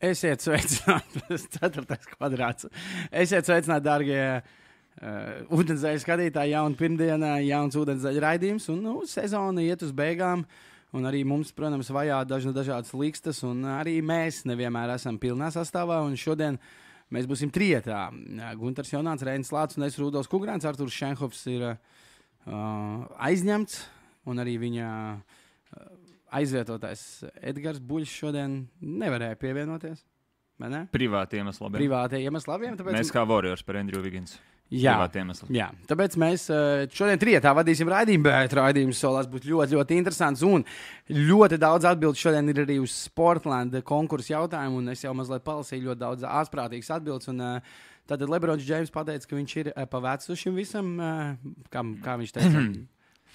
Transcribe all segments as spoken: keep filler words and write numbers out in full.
Esiet sveicināti, tas ceturtais kvadrāts. Esiet sveicināti, dārgie uh, ūdenszeļu skatītāji, jauna pirmdiena, jauns ūdenszeļu raidījums, un nu, sezona iet uz beigām, un arī mums, protams, vajā dažna dažādas likstas, un arī mēs nevienmēr esam pilnā sastāvā, un šodien mēs būsim trietā. Guntars Jonāts, Reinis Lācis un es Rudolfs Kugrāns, Arturs Šenhofs ir uh, aizņemts, un arī viņa uh, aizvietotājs Edgars Buļs šodien nevarēja pievienoties. Ne? Privāti iemesli labiem. Privāti iemesli labiem. Tāpēc... Mēs kā Warriors par Andrew Wiggins. Jā, jā, tāpēc mēs šodien trietā vadīsim raidījumu, bet raidījums solās būt ļoti, ļoti interesants. Un ļoti daudz atbildes šodien ir arī uz Sportland konkursu jautājumu. Un es jau mazliet palasīju ļoti daudz ārsprātīgas atbildes. Un, tātad Lebrons Džeims pateica, ka viņš ir pa vecu šim visam, kā, kā viņš teica,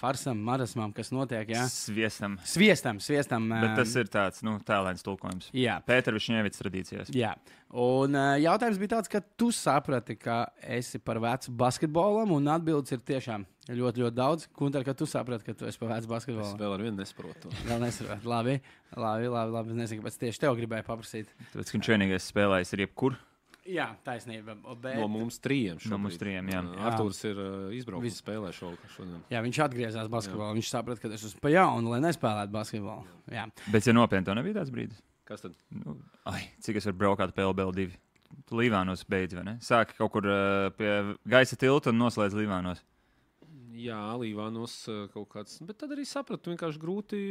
farsam, marasmam, kas notiek. Jā? Sviestam. Sviestam, sviestam. Bet tas ir tāds, nu, tēlēns tulkojums. Jā. Pēter Višņēvics tradīcijās. Jā. Un uh, jautājums bija tāds, ka tu saprati, ka esi par vecu basketbolam, un atbildes ir tiešām ļoti, ļoti daudz. Kuntar, ka tu saprati, ka tu esi par vecu basketbolam? Es vēl ar vienu nesaprotu. Vēl nesaprotu. Labi, labi, labi, labi. Es nezinu, kāpēc tieši tev gribēju paprasīt. Tāpēc, ka viņš vienīgais spēlējis ir jebkur. Jā, taisnība. Bet... No mums trījiem šobrīd. No mums trījiem, jā. Arturs ir uh, izbraucis Vis... spēlē šodien. Jā, viņš atgriezās basketbolā. Viņš saprata, ka es esmu pa jaunu, lai nespēlētu basketbolu. Jā. Bet, ja nopietni, to nebija tāds brīdis? Kas tad? Nu, ai, cik es varu braukāt P L B L divi? Tu Līvānos beidz, vai ne? Sāki kaut kur uh, pie gaisa tilta un noslēdz Līvānos. Jā, Līvānos uh, kaut kāds. Bet tad arī sapratu, vienkārši grūti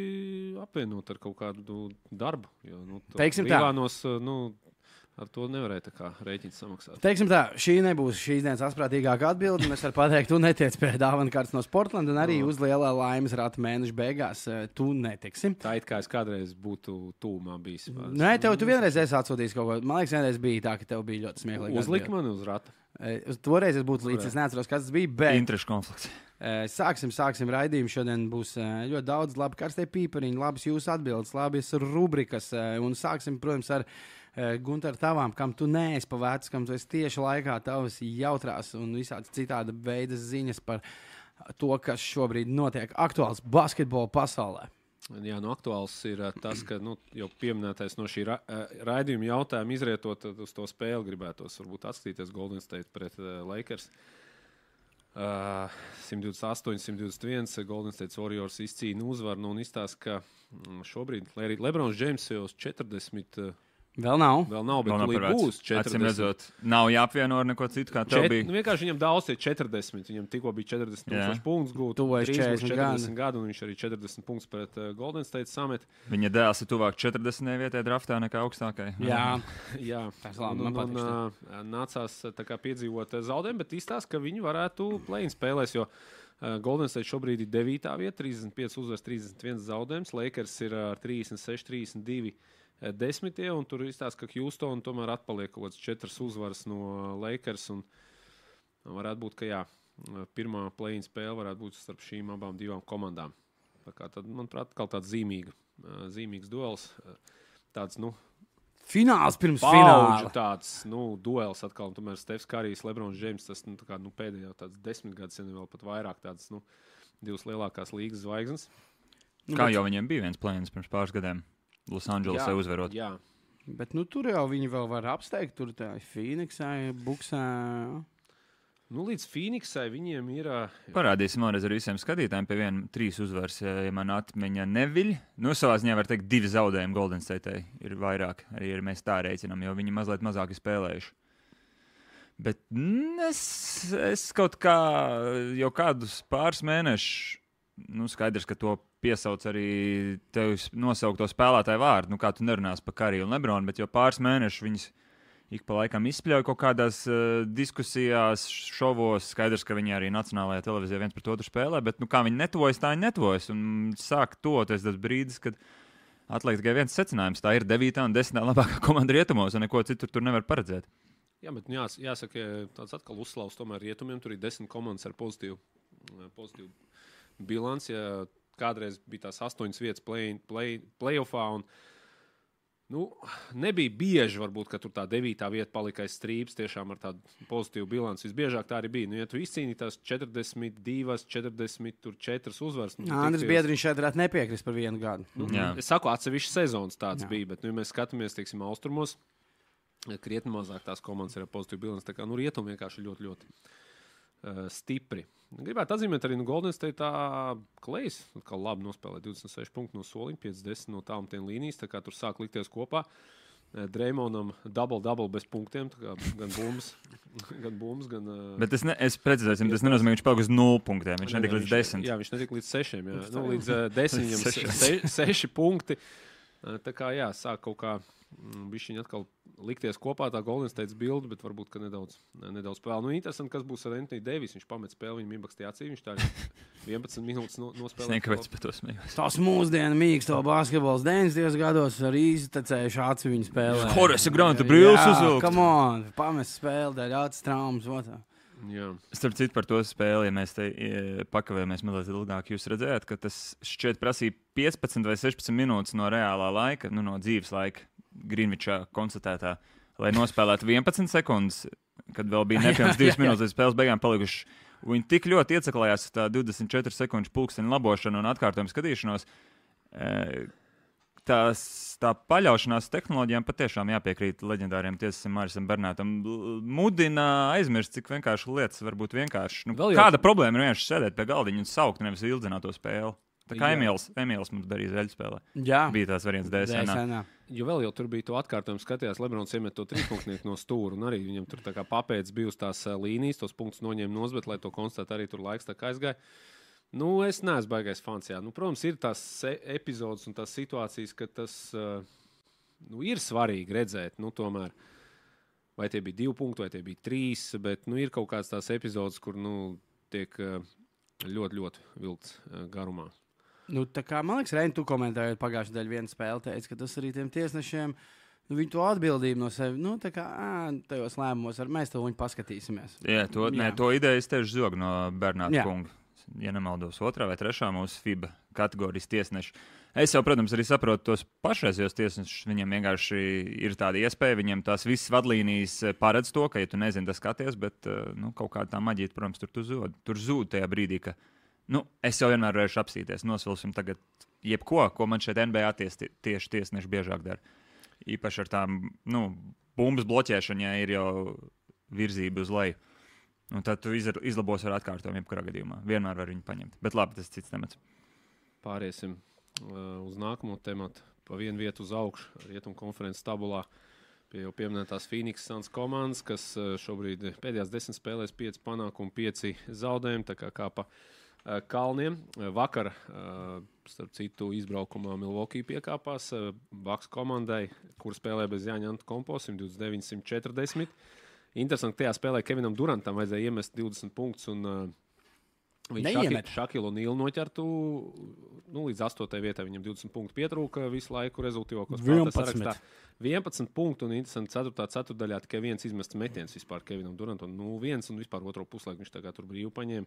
apvienot ar kaut kādu darbu. Jo, nu, Teiksim Līvānos, uh, nu, ar to nevarēja tā kā rēķins samaksāt. Teiksim tā, šī nebūs šīs dienas asprātīgākā atbilde. Es varu pateikt, tu netiec pie dāvana kārtas no Sportland, un arī no. uz lielā laimes rata mēneša beigās tu netiksi. Tā it kā es kādreiz būtu tūmā bijis. Nē, tev tu vienreiz esi atsūtījis kaut ko. Man liekas, vienreiz bija tā, ka tev bija ļoti smieklīgi. Uzlika mani uz rata. Toreiz es būtu līdz, es neatceros, kas tas bija, bet... Interešu konflikts. Sāksim, sāksim raidījumu. Šodien būs ļoti daudz labi karstie pīpariņi, labas jūsu atbildes, labas rubrikas, un sāksim, protams, ar Gunter, tavām, kam tu neesi pa vecu, kam tu esi tieši laikā, tavas jautrās un visādas citāda veida ziņas par to, kas šobrīd notiek aktuāls basketbola pasaulē. Jā, nu aktuāls ir tas, ka nu, jau pieminētais no šī ra raidījuma jautājuma izrietot uz to spēli gribētos varbūt atskatīties Golden State pret uh, Lakers. Uh, simt divdesmit astoņi, simt divdesmit viens Golden State Warriors izcīna uzvaru nu, un izstāsta, ka mm, šobrīd, lai arī Lebrons Džeims jau uz četrdesmit uh, Vēl nav. Vēl nav, bet vēl nav būs četrdesmit. Acīm redzot, nav jāapvieno ar neko citu, kā tev Čet, bija. Nu, vienkārši viņam daudz ir četrdesmit. Viņam tikko bija četrdesmit tūkstoši punktus gūt. Tuvojas četrdesmit gadu, un viņš arī četrdesmit punktus pret uh, Golden State samet. Viņa dēls ir tuvāk četrdesmitajai vietai draftā nekā augstākai. Jā, jā. Tas labi, un, un, un uh, nācās tā kā piedzīvot zaudējumu, bet izstāsta, ka viņi varētu play-in spēlēs, jo uh, Golden State šobrīd ir devītā vieta, trīsdesmit pieci uzvaras, trīsdesmit viens zaudējums. Lakers ir ar uh, trīsdesmit seši, trīsdesmit divi desmitie, un tur izstāsta, ka Houston tomēr atpaliek kaut kāds četras uzvaras no Lakers, un varētu būt, ka jā, pirmā play-in spēle varētu būt starp šīm abām divām komandām. Tā kā tad, manuprāt, atkal tāds zīmīga, zīmīgs duels, tāds, nu, fināls pirms fināla. Tāds, nu, duels atkal, un tomēr Stefs Karijs, Lebrons Džeims, tas, nu, tā kā, nu, pēdējā tāds desmit gadus, ja ne vēl pat vairāk tāds, nu, divas lielākās līgas zvaigznes. Kā jau viņiem bija viens play-ins pirms pāris gadiem? Losandželosai uzvarot. Jā. Bet nu, tur jau viņi vēl var apsteigt. Tur tā Phoenixai, Buksai. Nu, līdz Phoenixai viņiem ir... Parādīsim vēlreiz ar visiem skatītājiem pie viena trīs uzvaras, ja man atmiņa neviļ. Nu, savā ziņā var teikt divi zaudējumi Golden State'ai ir vairāk. Arī ir mēs tā reicinām, jo viņi mazliet mazāk ir spēlējuši. Bet es, es kaut kā jau kādus pāris mēnešus, nu, skaidrs, ka to piesauc arī tev nosaukto spēlētāju vārdu. Nu, kā tu nerunās par Kariju un Lebronu, bet jau pāris mēnešus viņas ik pa laikam izspļauj kaut kādās uh, diskusijās, šovos. Skaidrs, ka viņi arī nacionālajā televīzijā viens pret otru spēlē, bet nu, kā viņi netuvojas, tā viņi netuvojas. Un sāk toties tas brīdis, kad atliek tikai viens secinājums. Tā ir devītā un desmitā labākā komanda rietumos, un neko citur tur nevar paredzēt. Jā, bet jās, jāsaka, tāds atkal uzslavs tomēr rietumiem. Tur ir desmit komandas ar pozitīvu, pozitīvu bilanci. Ja kādreiz bija tās astoņas vietas play, play, play-offā, un Nu, nebija bieži, varbūt, ka tur tā devītā vieta palika aiz strīpas, tiešām ar tādu pozitīvu bilanci. Visbiežāk tā arī bija. Nu, ja tu izcīnīji tās četrdesmit divas, četrdesmit četras uzvaras. Nu, Andris Biedriņš šeit varētu nepiekrist par vienu gadu. Nu, es saku, atsevišķas sezonas tāds Jā. bija, bet, nu, ja mēs skatāmies, teiksim, austrumos, krietni mazāk tās komandas ir ar pozitīvu bilanci. Tā kā, nu, rietumi vienkārši ļoti, ļoti uh, stipri. Gribētu atzīmēt arī, nu, Golden State tā Klejs, kā labi nospēlē divdesmit seši punkti no soliņa, piecdesmit no tālumtiem līnijas, tā kā tur sāk likties kopā. Dreymonam double-double bez punktiem, tā kā gan bumbas, gan bumbas, gan... Bet es, ne, es precizēsim, tas nenozīmē, ka viņš paliek uz nulles punktiem, viņš netika līdz desmit. Jā, viņš netika līdz sešiem, jā. Nu, līdz uh, desmitiem se, seši punkti. Tā kā, jā, sāk kaut kā bišķiņi atkal likties kopā tā Golden State bilde, bet varbūt, ka nedaudz, nedaudz spēlē. Nu, interesanti, kas būs ar Anthony Davis. Viņš pamet spēli, viņam iebakstīja acī, viņš tā vienpadsmit minūtes no, nospēlē. Es nekāpēc par to smējos. Tas mūsdienu mīksto basketbols deviņdesmitajos gados ar iztecējuši aci viņu spēlē. Horace Granta brīvs uzvilkt. Come on, pamest spēli, dēļ acis traumas. Otā. Jā. Starp citu par to spēli, ja mēs te pakavējamies mazliet ilgāk, jūs redzējāt, ka tas šķiet prasīja piecpadsmit vai sešpadsmit minūtes no reālā laika, nu no dzīves laika, Greenwichā konstatētā, lai nospēlētu vienpadsmit sekundes, kad vēl bija nepilns divas minūtes līdz spēles beigām palikuši. Viņi tik ļoti ieceklējās tā divdesmit četru sekundžu pulksteņa labošanu un atkārtojumu skatīšanos. Tās, tā paļaušanās tehnoloģijām patiešām jāpiekrīt leģendāriem tiesasam Marisam Bernātam. Mudina aizmirst, cik vienkārši lietas var būt vienkārši. Nu, kāda problēma ir vienkārši sēdēt pie galdiņa un saukt, nevis ildzināt to spēli? Tā kā Emīls, Emīls mums darīja zeļu spēlē. Jā. Bija tās variants D S N. Jo vēl jau tur bija to atkārtojumu skatījās, Lebrons iemet to trīspunktnieku no stūra, un arī viņam tur tā kā papēdz bija uz tās līnijas, tos punktus noņēma nos, bet, lai to konstatētu, arī tur laiks tā kā aizgāja. Nu, es neesmu baigais fans, jā. Nu, protams, ir tās epizodes un tās situācijas, ka tas uh, nu, ir svarīgi redzēt, nu, tomēr, vai tie bija divi punkti, vai tie bija trīs, bet, nu, ir kaut kāds tās epizodes, kur, nu, tiek uh, ļoti, ļoti vilkts uh, garumā. Nu, tā kā, man liekas, Reini, tu komentējot pagājušajā daļā vienu spēli, teici, ka tas arī tiem tiesnešiem, nu, viņi to atbildību no sevi, nu, tā kā, ā, tajos lēmumos, ar mēs to viņu paskatīsimies. Jā, to, Jā. Nē, to ideju es tieši zogu no Bernāta kunga. Ja nemaldos, otrā vai trešā mūsu F I B A kategorijas tiesneši. Es jau, protams, arī saprotu tos pašreizējos tiesnešus. Viņiem vienkārši ir tāda iespēja, viņiem tās visas vadlīnijas paredz to, ka, ja tu nezini, tas skaties, bet, nu, kaut kāda tā maģija, protams, tur tu zūd. Tur zūd tajā brīdī, ka, nu, es jau vienmēr varēšu apstīties, nosvilsim tagad jebko, ko man šeit N B A ties, tieši tiesneši biežāk dara. Īpaši ar tām, nu, bumbas bloķēšanu, ja ir jau virzība uz leju. Un tad tu izlabos ar atkārtojumu jebkurā gadījumā. Vienmēr var viņu paņemt. Bet labi, tas cits temats. Pāriesim uh, uz nākamo tematu. Pa vienu vietu uz augšu Rietumu konferences tabulā pie jau pieminētās Phoenix Suns komandas, kas uh, šobrīd pēdējās desmit spēlēs pieci panākumi, pieci zaudējumi, tā kā kā pa uh, kalniem. Uh, vakar, uh, starp citu, izbraukumā Milwaukee piekāpās uh, Bucks komandai, kur spēlē bez Jāņa Antetokounmpo simt divdesmit deviņi simt četrdesmit. Interesanti, tajā spēlē Kevinam Durantam vajadzēja iemest divdesmit punktus, un uh, viņš Šakilu un Nīlu noķertu nu, līdz astotajai vietai. Viņam divdesmit punktu pietrūka visu laiku rezultīvākos spēlētājs sarakstā. vienpadsmit punktu un interesanti ceturtā ceturtdaļā tikai viens izmests metiens vispār Kevinam Durantam. Nu, viens un vispār otro puslaiku viņš tagad tur brīvi paņēma.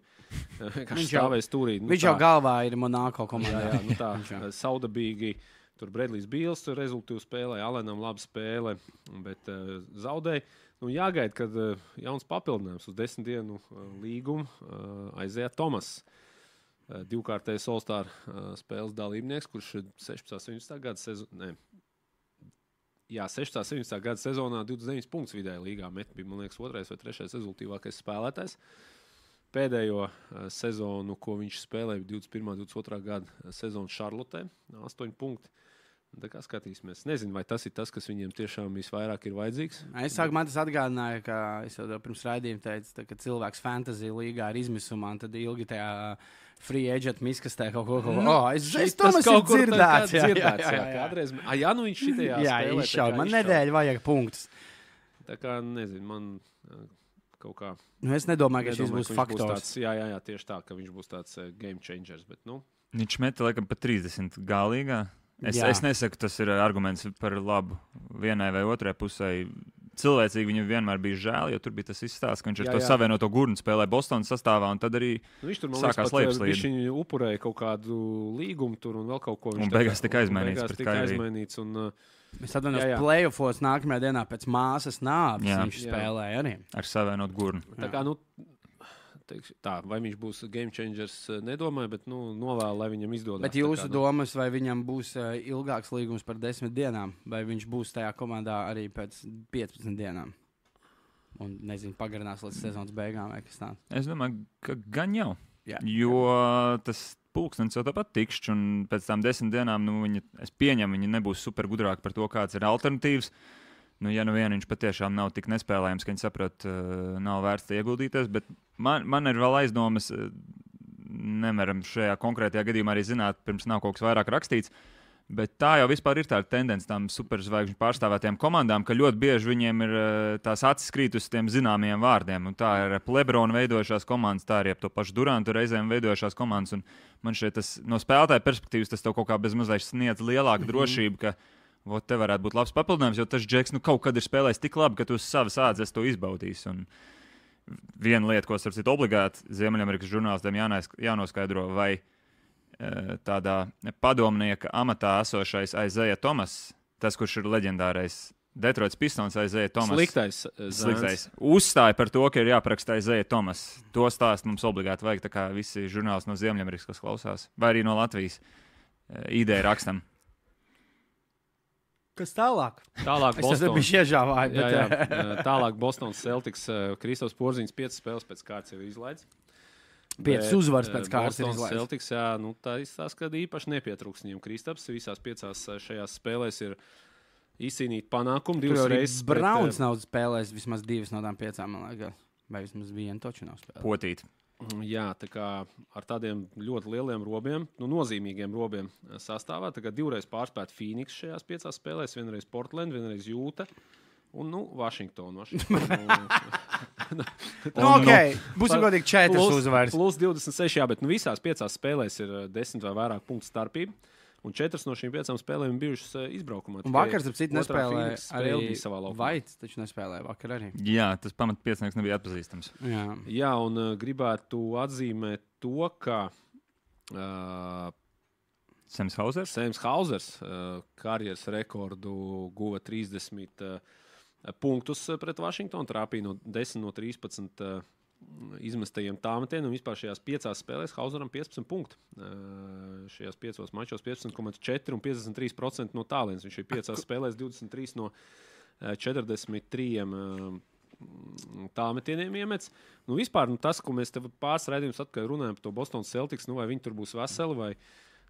Viņš stāvēja stūrī. Nu, viņš tā, jau galvā ir Monako komandā. Jā, jā, nu tā saudabīgi. Tur Bredlijs Bīls rezultīvu spēlēja, Alenam laba spēle, bet uh, zaudēja. Nu, jāgaida, kad uh, jauns papildinājums uz desmit dienu uh, līgumu uh, aizēja Tomas. Uh, divkārtējs All-Star uh, spēles dalībnieks, kurš sešpadsmit septiņpadsmit gada sezonā, jā, sešpadsmit septiņpadsmit gada sezonā divdesmit deviņus punktus vidēji līgā met, bija, man liekas, otrais vai trešais rezultīvākais spēlētājs. Pēdējo uh, sezonu, ko viņš spēlēja, divdesmit pirmā divdesmit otrā gada sezonu Šarlotē, astoņi punkti. Tā kā skatīsimies. Nezinu, vai tas ir tas, kas viņiem tiešām visvairāk ir vajadzīgs. Es sāku, man tas atgādināja, ka es jau pirms raidījuma teicu, tā, ka cilvēks fantasy līgā ir izmisumā, un tad ilgi tajā free agent miskastē kaut ko, kaut ko. Oh, es es to mēs kaut kur dzirdēts. Jā, jā, jā, jā. Kādreiz, a, jā, nu viņš šitajā jā, spēlē. Izšaut. Man nedēļa vajag punktus. Tā kā, nezinu, man kaut kā... Nu, es nedomāju, ka nedomāju, šis būs faktors. Būs tāds, jā, jā, jā, tieši tā, ka viņš būs tāds uh, game changers, bet, nu... Viņš meta, laikam, pa trīsdesmit galīgā. Es, es nesaku, tas ir arguments par labu vienai vai otrai pusē. cilvēcīgi viņam vienmēr bija žēl, jo tur bija tas izstāsts, ka viņš ar Jā, to jā. savienoto gurnu spēlēja Bostonas sastāvā, un tad arī Nu, viņš tur man sākās liekas, pat, lejupslīde. viņš viņu upurēja kaut kādu līgumu tur un vēl kaut ko. Viņš Un tā beigās kā- tika un aizmainīts beigās pret tika Kairiju. aizmainīts un, uh, Es atvainojos, Jā, jā. playoffos nākamajā dienā pēc māsas nāves Jā. viņš Jā. spēlēja arī. ar savienot gurnu. tā kā, nu, teikšu, tā, vai viņš būs game changers, uh, nedomāju, bet, nu, novēlu, lai viņam izdodas. Bet Tā jūsu kā, nu, domas, vai viņam būs uh, ilgāks līgums par desmit dienām, vai viņš būs tajā komandā arī pēc piecpadsmit dienām? Un, nezinu, pagarinās līdz sezonas beigām vai kas tāds. Es domāju, ka gan jau. Jā. Jo tas pulkstenis jau tāpat tikšķi, un pēc tam desmit dienām, nu, viņa, es pieņemu, viņi nebūs super gudrāki par to, kāds ir alternatīvs. Nu, ja nu vien viņš patiešām nav tik nespēlējams, ka viņi saprot, uh, nav vērts ieguldīties, bet man, man ir vēl aizdomas, uh, nevaram šajā konkrētajā gadījumā arī zināt, pirms nav kaut kas vairāk rakstīts. Bet tā jau vispār ir tā tendence tām superzvaigžņu pārstāvētajām komandām, ka ļoti bieži viņiem ir uh, tās acis krīt uz tiem zināmiem vārdiem. Un tā ir ap Lebronu veidojušās komandas, tā arī ap to pašu Durantu reizēm veidojušās komandas. Un man šeit tas, no spēlētāja perspektīvas tas tev kaut kā bezmazliet sniedz lielāku mm-hmm. drošību, ka vot, te varētu būt labs papildinājums, jo tas Džeks nu, kaut kad ir spēlējis tik labi, ka tu uz savas ādzes to izbaudīsi. Un viena lieta, ko starp citu obligāti Ziemeļamerikas žurnālistiem jānais- jānoskaidro, vai tādā padomnieka amatā esošais Isaiah Thomas, tas, kurš ir leģendārais Detroits Pistons Isaiah Thomas. Sliktais. uh, Sliktais. Uzstāja par to, ka ir jāapraksta Isaiah Thomas. To stāstu mums obligāti vajag, tā kā visi žurnālisti no Ziemeļamerikas, kas klausās, vai arī no Latvijas ideja rakstam. Kas tālāk? Tālāk Es tas Boston. biju iežāvājis. Jā, jā. Bet, uh, Tālāk Bostonas Celtics. uh, Kristofs Porziņš piecas spēles pēc kārtas ir izlaidis. Piecas Bet, uzvaras uh, pēc kārtas ir Bostonas izlaidis. Celtics, jā, nu, tā izstāsta, ka īpaši nepietrūks viņam Kristaps. Visās piecās uh, šajās spēlēs ir izcīnīt panākumu. Tur Divas arī reizes. Browns pret, uh, nav spēlējis vismaz divas no tām piecām, man liekas. Vai vismaz vienu toču nav spēlējis. Potīt. Jā, tā kā ar tādiem ļoti lieliem robiem, nu, nozīmīgiem robiem uh, sastāvā. Tā kā divreiz pārspēt Phoenix šajās piecās spēlēs, vienreiz Portland, vienreiz Jūta un, nu, Washington. Washington. Nu, ok, būsim godīgi četras Plus- uzvaras. Plus divdesmit seši, jā, bet nu, visās piecās spēlēs ir uh, desmit vai vairāk punktu starpība. Un četras no šīm piecām spēlēm bijušas uh, izbraukumā. Un vakar, starp citu, Otrā nespēlēja Phoenix spēle arī bija savā laukumā. Vaits, taču nespēlēja vakar arī. Jā, tas pamatpiecinieks nebija atpazīstams. Jā. Jā, un uh, gribētu atzīmēt to, ka uh, Sems Hausers. Sēms Hausers uh, karjeras rekordu guva trīsdesmit uh, punktus uh, pret Washingtonu. Trāpīja no desmit no trīspadsmit uh, izmestajiem tāmetieniem. Un vispār šajās piecās spēlēs Hauseram piecpadsmit punkti. Uh, šajās piecos mačos piecpadsmit komats četri un piecdesmit trīs procenti no tālienes. Viņš ir piecās spēlēs divdesmit trīs no uh, četrdesmit trīs uh, tāmetieniem iemets. Nu, vispār nu, tas, ko mēs te pāris raidījumus atpakaļ runājam par to Bostonas Celtics, nu, vai viņi tur būs veseli vai.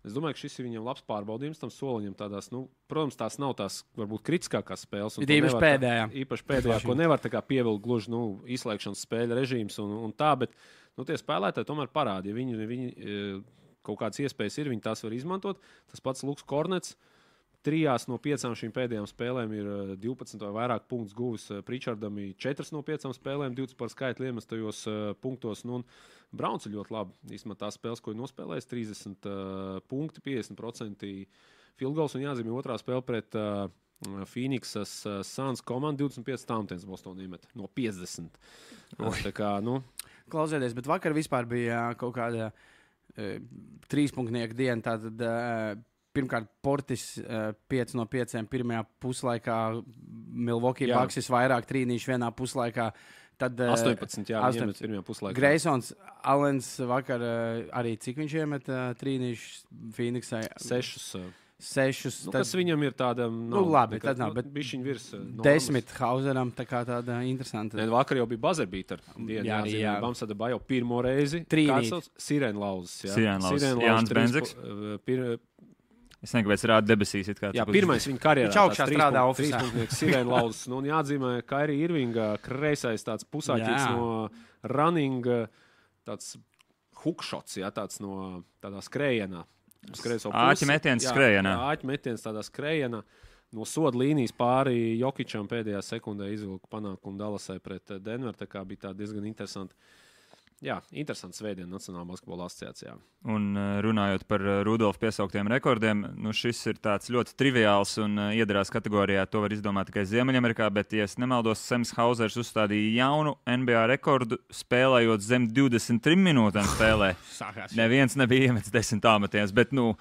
Es domāju, ka šis ir viņam labs pārbaudījums tam soliņam. Tādās, nu, protams, tās nav tās varbūt kritiskākās spēles. Ir īpaši pēdējā. Īpaši pēdējā, ko nevar tā kā pievilkt gluži nu, izslēgšanas spēļu režīms un, un tā, bet nu, tie spēlētāji tomēr parāda. Ja viņi, viņi e, kaut kādas iespējas ir, viņi tās var izmantot. Tas pats Luks Kornets. Trijās no piecām šīm pēdējām spēlēm ir divpadsmit vai vairāk punktus guvis. Pričardam ir četras no piecām spēlēm, divdesmit par skaitu iemestajos uh, punktos. Nu, Browns ir ļoti labi. Īstumā tās spēles, ko ir nospēlējis, trīsdesmit uh, punkti, piecdesmit procenti field goals. Un jāzīmē otrā spēle pret uh, Phoenixas uh, Suns komandu. divdesmit pieci tāmetiens Bostonā iemet no piecdesmit. Uh, tā kā, nu, Klausieties, bet vakar vispār bija kaut kāda uh, trīspunktnieka diena. Tātad, uh, pirmkārt, Portis uh, pieci no pieciem pirmajā puslaikā, Milwaukee Jā. Bucks vairāk trīnīšu vienā puslaikā. Tad uh, astoņpadsmit, jā, viņi iemet astoņpadsmit. pirmajā puslaikā. Greisons Alens vakar uh, arī cik viņš iemet uh, trīnīšu Phoenixai? Sešus. Uh, Sešus. nu, tad kas viņam ir tāda, Nu, labi, tad nav, bet bišķiņ virs. Uh, normas. desmit Hauseram, tā kā tāda interesanta. Ne, vakar jau bija buzerbīta. Jā, arī, jā. Bamsada Bajo pirmo reizi. Trīnīt. Sirēnlauzes. Sirēnlauzes. Jānis Benziks. Pir, Es nezinu, kāpēc rāda debesīs. it kā jā, tas būs- pirmais viņa karjerā. Viņš augšā strādā ofisā. Sirēnlauzes. Nu, un jāatzīmē, ka arī Irvinga kreisais tāds pusāķis Jā. no running, tāds hookšots, jā, tāds no tādā skrējienā. Uz kreiso pusi. Āķi metiens Jā, skrējienā. jā, Āķi metiens tādā skrējienā. No soda līnijas pāri Jokičam pēdējā sekundē izvilku panākumu Dallasai pret Denveru. Tā kā bija tā diezgan interesanti jā, interesants svētdien Nacionālā basketbola asociācijā. Un runājot par Rudolfa piesauktiem rekordiem, nu šis ir tāds ļoti triviāls un iedarās kategorijā. To var izdomāt tikai Ziemeļamerikā, bet, ja es nemaldos, Sems Hausers uzstādīja jaunu N B A rekordu, spēlējot zem divdesmit trim minūtēm spēlē. Neviens nebija iemetis desmit tāmetiens, bet, nu,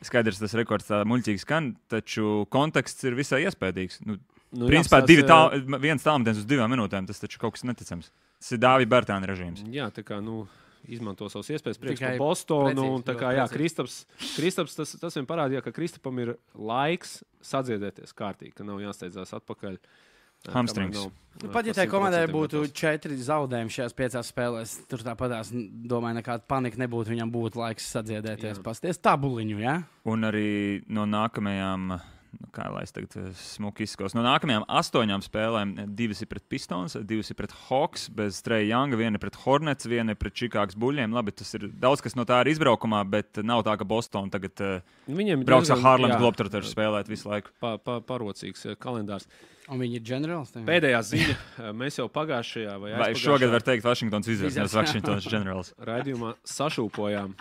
skaidrs, tas rekords tā muļķīgi skan, taču konteksts ir visai iespējīgs. Nu, nu, principā, jā, divi tā, viens tāmetiens uz divām minūtēm, tas taču kaut kas neticams. Tas ir Dāvija Bērtāna režīms. Jā, tā kā, nu, izmanto savus iespējas priekš par Bostonu. Un, tā kā, jā, Kristaps, Kristaps tas, tas vien parādīja, ka Kristapam ir laiks sadziedēties kārtīgi, ka nav jāsteidzās atpakaļ. Hamstrings. Nu, pat ja tai komandai būtu četri zaudējumi šajās piecās spēlēs, tur tāpatās, domāju, nekāda panika nebūtu, viņam būtu laiks sadziedēties, pasties tabuliņu, jā? Un arī no nākamajām... Nu, kā lai es tagad smuki izskos. No nākamajām astoņām spēlēm divas ir pret Pistons, divas ir pret Hawks, bez Treja Younga, viena ir pret Hornets, viena ir pret Čikāgas Buļļiem. Labi, tas ir daudz, kas no tā ir izbraukumā, bet nav tā, ka Boston tagad uh, brauks ar Harlems Globetrotters spēlēt visu laiku. Pa, pa, parocīgs kalendārs. Un viņi ir generāls? Pēdējā ziņa. Mēs jau pagājušajā vai aizpagājušajā... Vai šogad var teikt Washingtons Wizards, nevis Washingtons generāls. Raidījumā sašūpojām,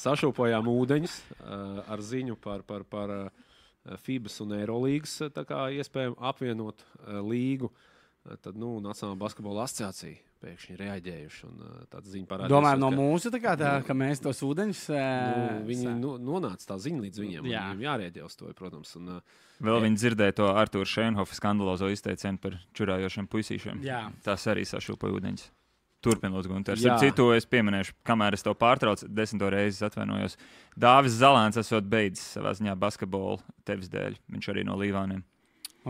sašūpojām ūdeņus uh, ar ziņu par... par, par uh, FIBAS un Eirolīgas iespējami apvienot uh, līgu, uh, tad, nu, Nacionālā basketbola asociācija pēkšņi reaģējuši un uh, tāda ziņa parādījās. Domājam no ka, mūsu, tā kā tā, ka mēs tos ūdeņus... Nu, viņi nu, nonāca tā ziņa līdz viņiem, jā. Un viņiem jārēģē uz to, protams. Un, uh, Vēl viņi dzirdēja to Artūra Šeinhofa skandalozo izteicienu par čurājošiem puisīšiem. Jā. Tas arī sašūpoja ūdeņus. Turpin, lūdzu, Gunter. Ar citu es pieminēšu, kamēr es to pārtraucu, desmito reizi atvainojos. Dāvis Zalēns esot beidzis savā ziņā basketbolu tevis dēļ. Viņš arī no Līvāniem.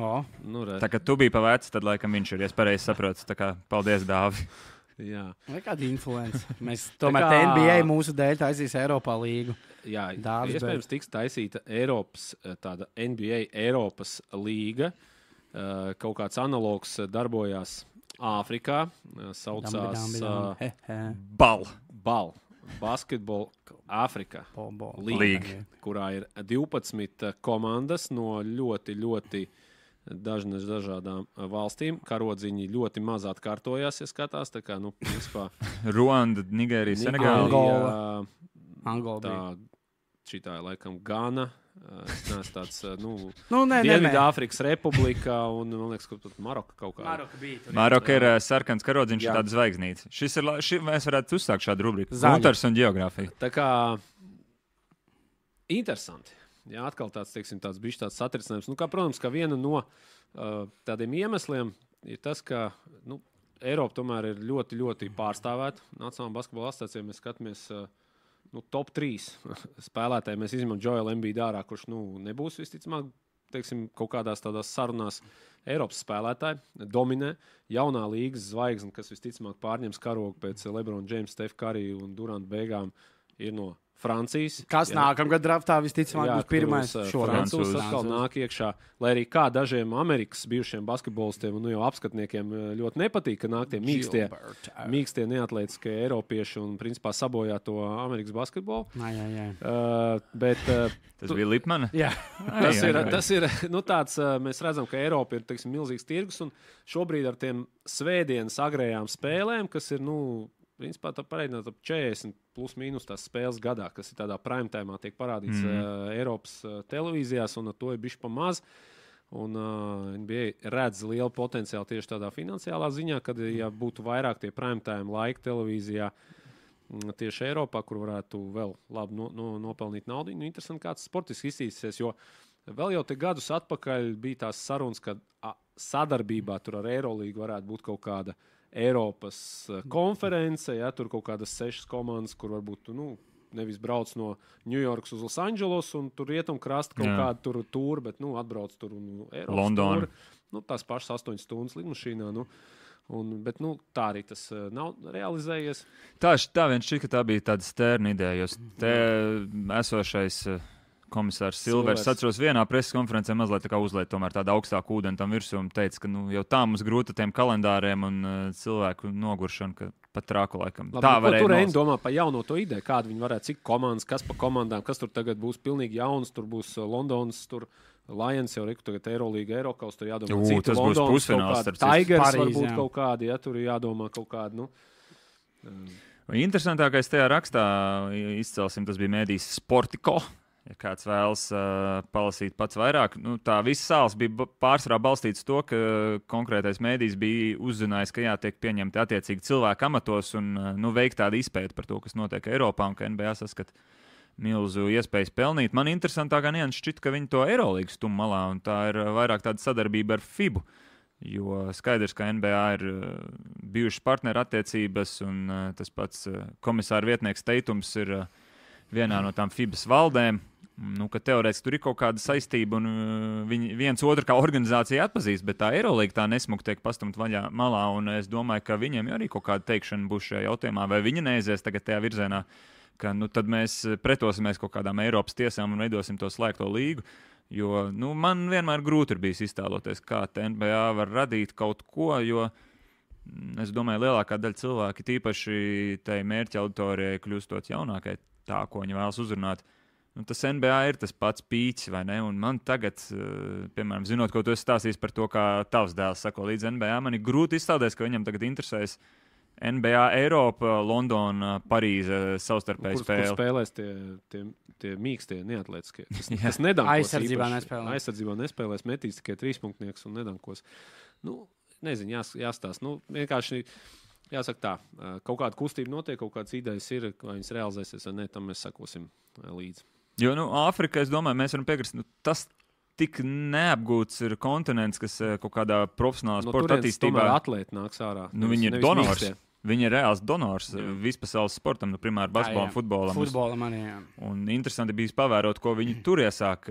O, nu, re. Tā kā tu biji pavēcis, tad laikam viņš ir, ja es pareizi saprotu. Tā kā paldies, Dāvi. Jā. Vai kāda influence? Mēs tomēr kā... N B A mūsu dēļ taisīs Eiropā līgu. Jā, Dāvis iespējams tiks taisīta Eiropas, tāda N B A Eiropas līga. Kaut kāds analogs darbojās Āfrikā, saucās uh, BAL. BAL. Basketball Āfrikā līga, kurā ir divpadsmit komandas no ļoti, ļoti dažnas dažādām valstīm. Karodziņi ļoti maz atkārtojās, ja skatās. Tā kā, nu, principā... Ruanda, Nigērija, Senegāla. Angola. Angola tā, šitā ir laikam Gana. Es neesmu tāds, nu, nu Dienvidāfrikas republika un, man liekas, ka Maroka kaut kā. Maroka bija. Tur, Maroka ir uh, sarkans karodziņš, ir tāda zvaigznīca. Šis ir, ši, mēs varētu uzsākt šādu rubriku. Gunters un geogrāfija. Tā kā interesanti. Jā, atkal tāds, teiksim, tāds bišķi tāds satricinājums. Nu, kā, protams, ka viena no uh, tādiem iemesliem ir tas, ka, nu, Eiropa tomēr ir ļoti, ļoti pārstāvēta. Nacionālā basketbola asociācijā mēs skatāmies uh, Nu, top trīs spēlētāji. Mēs izņemam Joelu Embiidu ārā, kurš nu, nebūs visticamāk teiksim, kaut kādās tādās sarunās. Eiropas spēlētāji dominē. Jaunā līgas zvaigzne, kas visticamāk pārņems karogu pēc LeBron James, Steph Curry un Durant beigām, ir no Francijas. Kas nākamgad draftā visticamāk būs pirmais šodien. Francūs atkal nāk iekšā, lai arī kā dažiem Amerikas bijušiem basketbolistiem un nu jau apskatniekiem ļoti nepatīk, ka nāk tie mīkstie, mīkstie neatletiskie eiropieši un principā sabojā to Amerikas basketbolu. Jā, jā, jā. Uh, bet, uh, tas bija Lipmana? Jā. tas ir, tas ir nu, tāds, uh, mēs redzam, ka Eiropa ir teiksim, milzīgs tirgus un šobrīd ar tiem svētdienas agrējām spēlēm, kas ir, nu, principā tā pareizināt ap četrdesmit plus mīnus tās spēles gadā, kas ir tādā prime timā tiek parādīts mm. uh, Eiropas uh, televīzijās, un to ir bišķi pa maz. Un uh, N B A redz lielu potenciālu tieši tādā finansiālā ziņā, kad, ja būtu vairāk tie prime time laika televīzijā m, tieši Eiropā, kur varētu vēl labi no, no, nopelnīt naudu, nu, interesanti, kāds sportiski iztīsies, jo vēl jau te gadus atpakaļ bija tās sarunas, ka a, sadarbībā tur ar Eirolīgu varētu būt kaut kāda Eiropas konference, ja, tur kaut kādas sešas komandas, kur varbūt nu, nevis brauc no Ņujorkas uz Losandželos un tur rietum krasta kaut Jā. Kādu tur tūru, bet nu, atbrauc tur un Eiropas London. Tūri. Nu, tās pašas astoņas stundas lidmašīnā. Nu, un, bet nu, tā arī tas uh, nav realizējies. Tā, tā viens šķiet, ka tā bija tāda stērna ideja, jo te esošais... Uh, komisārs Silvers, atceros vienā preses konferencē mazliet tā kā uzliet tomēr tādu augstāku ūdeni tam virsū un teica, ka nu, jau tā mums grūta tiem kalendāriem un uh, cilvēku noguršana, ka pat trāku laikam. Labi, tā nu, varēja tur nos... Reini domā par jauno to ideju, kādu viņi varētu, cik komandas, kas pa komandām, kas tur tagad būs pilnīgi jauns, tur būs Londons, tur Lions jau reku tagad Eirolīga, Eirokaus, tur jādomā, Jū, cik tas Londons, būs pusfināls. Tigers Parīz, varbūt jā. kaut kādi, ja tur jādomā kaut kādi, nu. Um, Interesantākais tajā rakstā izcelsim, tas bija mēdījis Sportiko. Ja kāds vēlas uh, palasīt pats vairāk, nu, tā visa sāls bija pārsvarā balstīts to, ka konkrētais mēdījis bija uzzinājis, ka jātiek pieņemti attiecīgi cilvēku amatos un uh, nu, veikt tādu izpēti par to, kas notiek Eiropā un ka N B A saskat milzu iespējas pelnīt. Man interesantākā nianses šķiet, ka viņi to Eirolīgu stum malā un tā ir vairāk tāda sadarbība ar FIBU, jo skaidrs, ka N B A ir uh, bijušas partneru attiecības un uh, tas pats uh, komisāra vietnieks Teitums ir uh, vienā no tām FIBAs valdēm. Nu, ka teorētiski tur ir kaut kāda saistība un uh, viņi viens otru kā organizācija atpazīst, bet tā Eirolīga tā nesmuk tiek pastumt vaļā malā, un es domāju, ka viņiem arī kaut kāda teikšana būs šajā jautājumā, vai viņi neaizies tagad tajā virzienā, ka nu, tad mēs pretosimies kaut kādām Eiropas tiesām un veidosim to slēgto līgu, jo nu, man vienmēr grūti ir bijis iztēloties, kā N B A var radīt kaut ko, jo es domāju, lielākā daļa cilvēki, tīpaši tai mērķa auditorijai kļūstot jaunākai, tā, ko viņi vēlas uzrunāt. Nu, tas N B A ir tas pats pīķis, vai ne? Un man tagad, uh, piemēram, zinot, ko tu esi stāstījis par to, kā tavs dēls sako līdz N B A, man ir grūti izstāties, ka viņam tagad interesēs N B A, Eiropa, Londona, Parīze savstarpēji spēle. Kur spēlēs tie, tie, tie mīkstie, neatletiskie. Tas, tas nedankos. Aizsardzībā nespēlēs. Aizsardzībā nespēlēs, metīs tikai trīspunktnieks un nedankos. Nu, nezinu, jās, jāstāst. Nu, vienkārši jāsaka tā, kaut kāda kustība notiek, kaut kādas idejas ir, vai viņas realizēsies vai ne, tam mēs sakosim līdzi. Jo, nu, Āfrika, es domāju, mēs varam piekrist, nu, tas tik neapgūts ir kontinents, kas kaut kādā profesionālā no sporta attīstībā... Tomēr atlēti nāks ārā. Nu, viņi ir donors. Mīkstie. Viņi ir reāls donors jā. Vispasaules sportam, nu, primāri basketbolam, futbolam. Futbolam arī, jā. Un interesanti bija pavērot, ko viņi tur iesāk,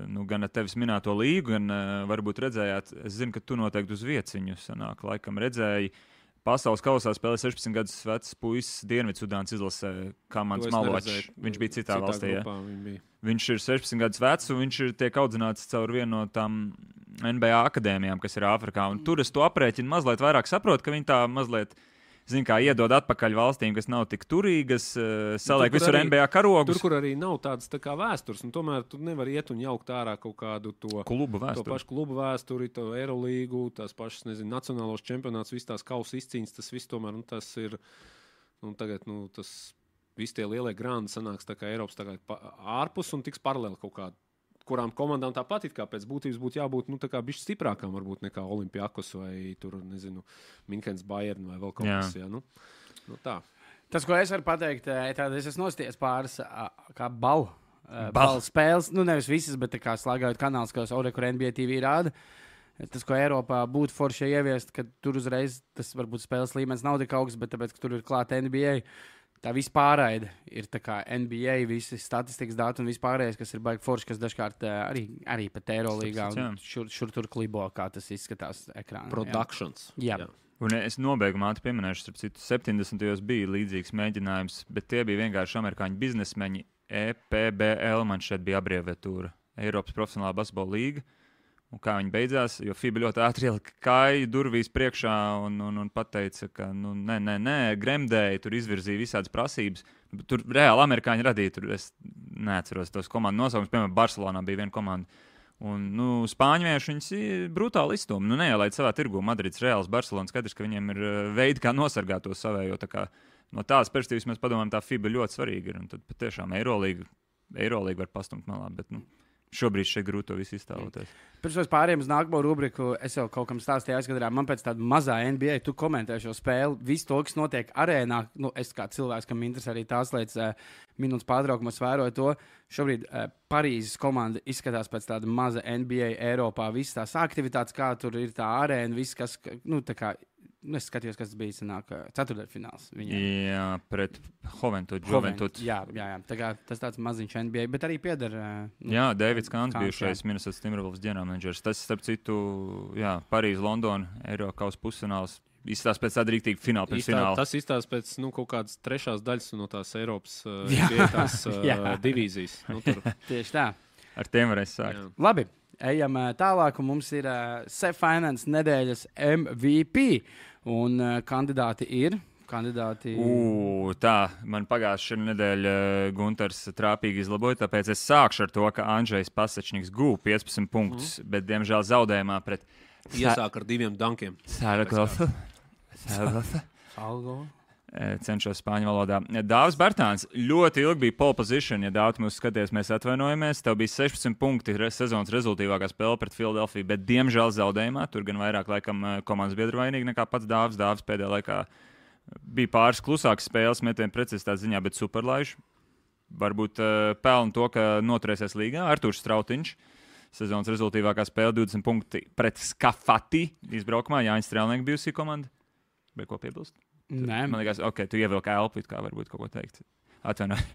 nu, gan ar tevis minēto līgu, gan varbūt redzējāt, es zinu, ka tu noteikti uz vieciņu sanāk, laikam redzēji, pasaules kausā spēlē sešpadsmit gadus vecs puisis Dienvidsudānas izlasē Kamans Maločs. Viņš bija citā, citā valstī. Ja? Bija. Viņš ir sešpadsmit gadus vecs un viņš ir tiek audzināts caur vienu no tām N B A akadēmijām, kas ir Āfrikā. Un tur es to aprēķinu mazliet vairāk saprotu, ka viņi tā mazliet, zin kā, iedod atpakaļ valstīm, kas nav tik turīgas, saliek tur, visur arī, N B A karogus. Tur, kur arī nav tādas tā kā vēstures, un tomēr tu nevar iet un jaukt ārā kaut kādu to klubu vēsturi, to pašu klubu vēsturi, to Eirolīgu, tās pašas, nezinu, nacionālos čempionāts, viss tās kausa izcīņas, tas viss tomēr, nu, tas ir, nu, tagad, nu, tas, visi tie lielie grandi sanāks tā kā Eiropas tā kā ārpus un tiks paralēli kaut kādu, kurām komandām tāpat it kā pēc būtības būtu jābūt, nu, tā kā bišķi stiprākām, varbūt nekā Olimpiakos vai tur, nezinu, Minhens Bayern vai vēl kaut kas, jā, nu, nu tā. Tas, ko es varu pateikt, tātad es esmu nostājies pāris kā balu, balu spēles, nu, nevis visas, bet tā kā slēgājot kanāls, kas Ore, kur N B A T V rāda. Tas, ko Eiropā būtu forši ieviest, ka tur uzreiz tas varbūt spēles līmenis nav tik augsts, bet tāpēc, ka tur ir klāta N B A, tā vispārraide ir tā kā N B A, visi statistikas dati un vispārējais, kas ir baigi forši, kas dažkārt arī, arī pat Eirolīgā un šur, šur tur klibo, kā tas izskatās ekrānā. Productions. Jā. jā. Un es nobeigumā pieminēšu, starp citu, septiņdesmitajos bija līdzīgs mēģinājums, bet tie bija vienkārši amerikāņu biznesmeņi. E P B L man šeit bija abreviatūra. Eiropas profesionālā basketbola līga. Un kā viņi beidzās, jo FIBA ļoti ātri ielika kāju durvīs priekšā un, un, un pateica, ka nu, nē, nē, nē, gremdēji, tur izvirzīja visādas prasības. Tur reāli amerikāņi radīja, tur es neatceros tos komandu nosaukums, piemēram, Barcelonā bija viena komanda. Un, nu, spāņvieši viņus brutāli izstūma. Nu, neielaid savā tirgu Madrids, Reāls, Barcelona, skaidrs, ka viņiem ir veidi, kā nosargāt to savējo. Tā kā, no tādas perspektīvas mēs padomājam, tā FIBA ļoti svarīga ir. Un tad patiešām Eirolīga, Eirolīga var pastumt malā, bet, nu, šobrīd šeit grūti to visu iztēloties. Pirms mēs pārējām uz nākamo rubriku, es jau kaut kam stāstīju aizkadrā, man pēc tāda mazā N B A, tu komentē šo spēli, visu to, kas notiek arēnā, nu, es kā cilvēks, kam interesē arī tās lietas, uh, minūtes pārtraukumos vēroju to, šobrīd uh, Parīzes komanda izskatās pēc tāda maza N B A Eiropā, visas tās aktivitātes, kā tur ir tā arēna, viss, kas, nu, tā kā, nu, es skatījos, kas bija, sanāk, ceturtdaļfināls viņiem. Jā, pret Juventud, Juventud. Jā, jā, jā, tā kā tas tāds maziņš N B A, bet arī pieder. Nu, jā, Davids Kāns bijušais Minnesota Timberwolves ģenerālmenedžers. Tas, starp citu, jā, Parīze, Londona, Eirokaus pusfināls. Izstāsta pēc tāda rīktīga fināla pirms fināla. Tas izstāsta pēc, nu, kaut kādas trešās daļas no tās Eiropas uh, tās, uh, divīzijas. Nu, tur. Tieši tā. Ar tiem varēs sākt. Jā. Labi. Ejam tālāk, un mums ir uh, Sef Finance nedēļas M V P. Un uh, kandidāti ir. Kandidāti... U, tā, man pagājušā nedēļa Gunters trāpīgi izlaboja, tāpēc es sākšu ar to, ka Andžejs Pasečniks guva piecpadsmit punktus, mm. bet, diemžēl, zaudējumā pret... Iesāk ar diviem dankiem. Sāragosu. Sāragosu. Algo. cenšos spāņu valodā. Dāvis Bartāns ļoti ilgi bija pole position, ja Dāvis mūs skaties, mēs atvainojamies. Tev bija sešpadsmit punkti sezonas rezultīvākā spēle pret Philadelphia, bet diemžēl zaudējumā. Tur gan vairāk laikam komandas biedru vainīgi nekā pats Dāvis. Dāvis pēdējā laikā bija pāris klusākas spēles metienu precizitātes ziņā, bet superlaiž. Varbūt uh, pelna to, ka noturēsies līgā. Artūrs Strautiņš. Sezonas rezultīvākā spēle divdesmit punkti pret Skafati izbraukumā. Jānis Strēlnieks bijusi komanda. Vai ko piebilst? Nē, man liekas, ok, tu ievilki elpu, kā varbūt kaut ko teikt. Atvainojiet.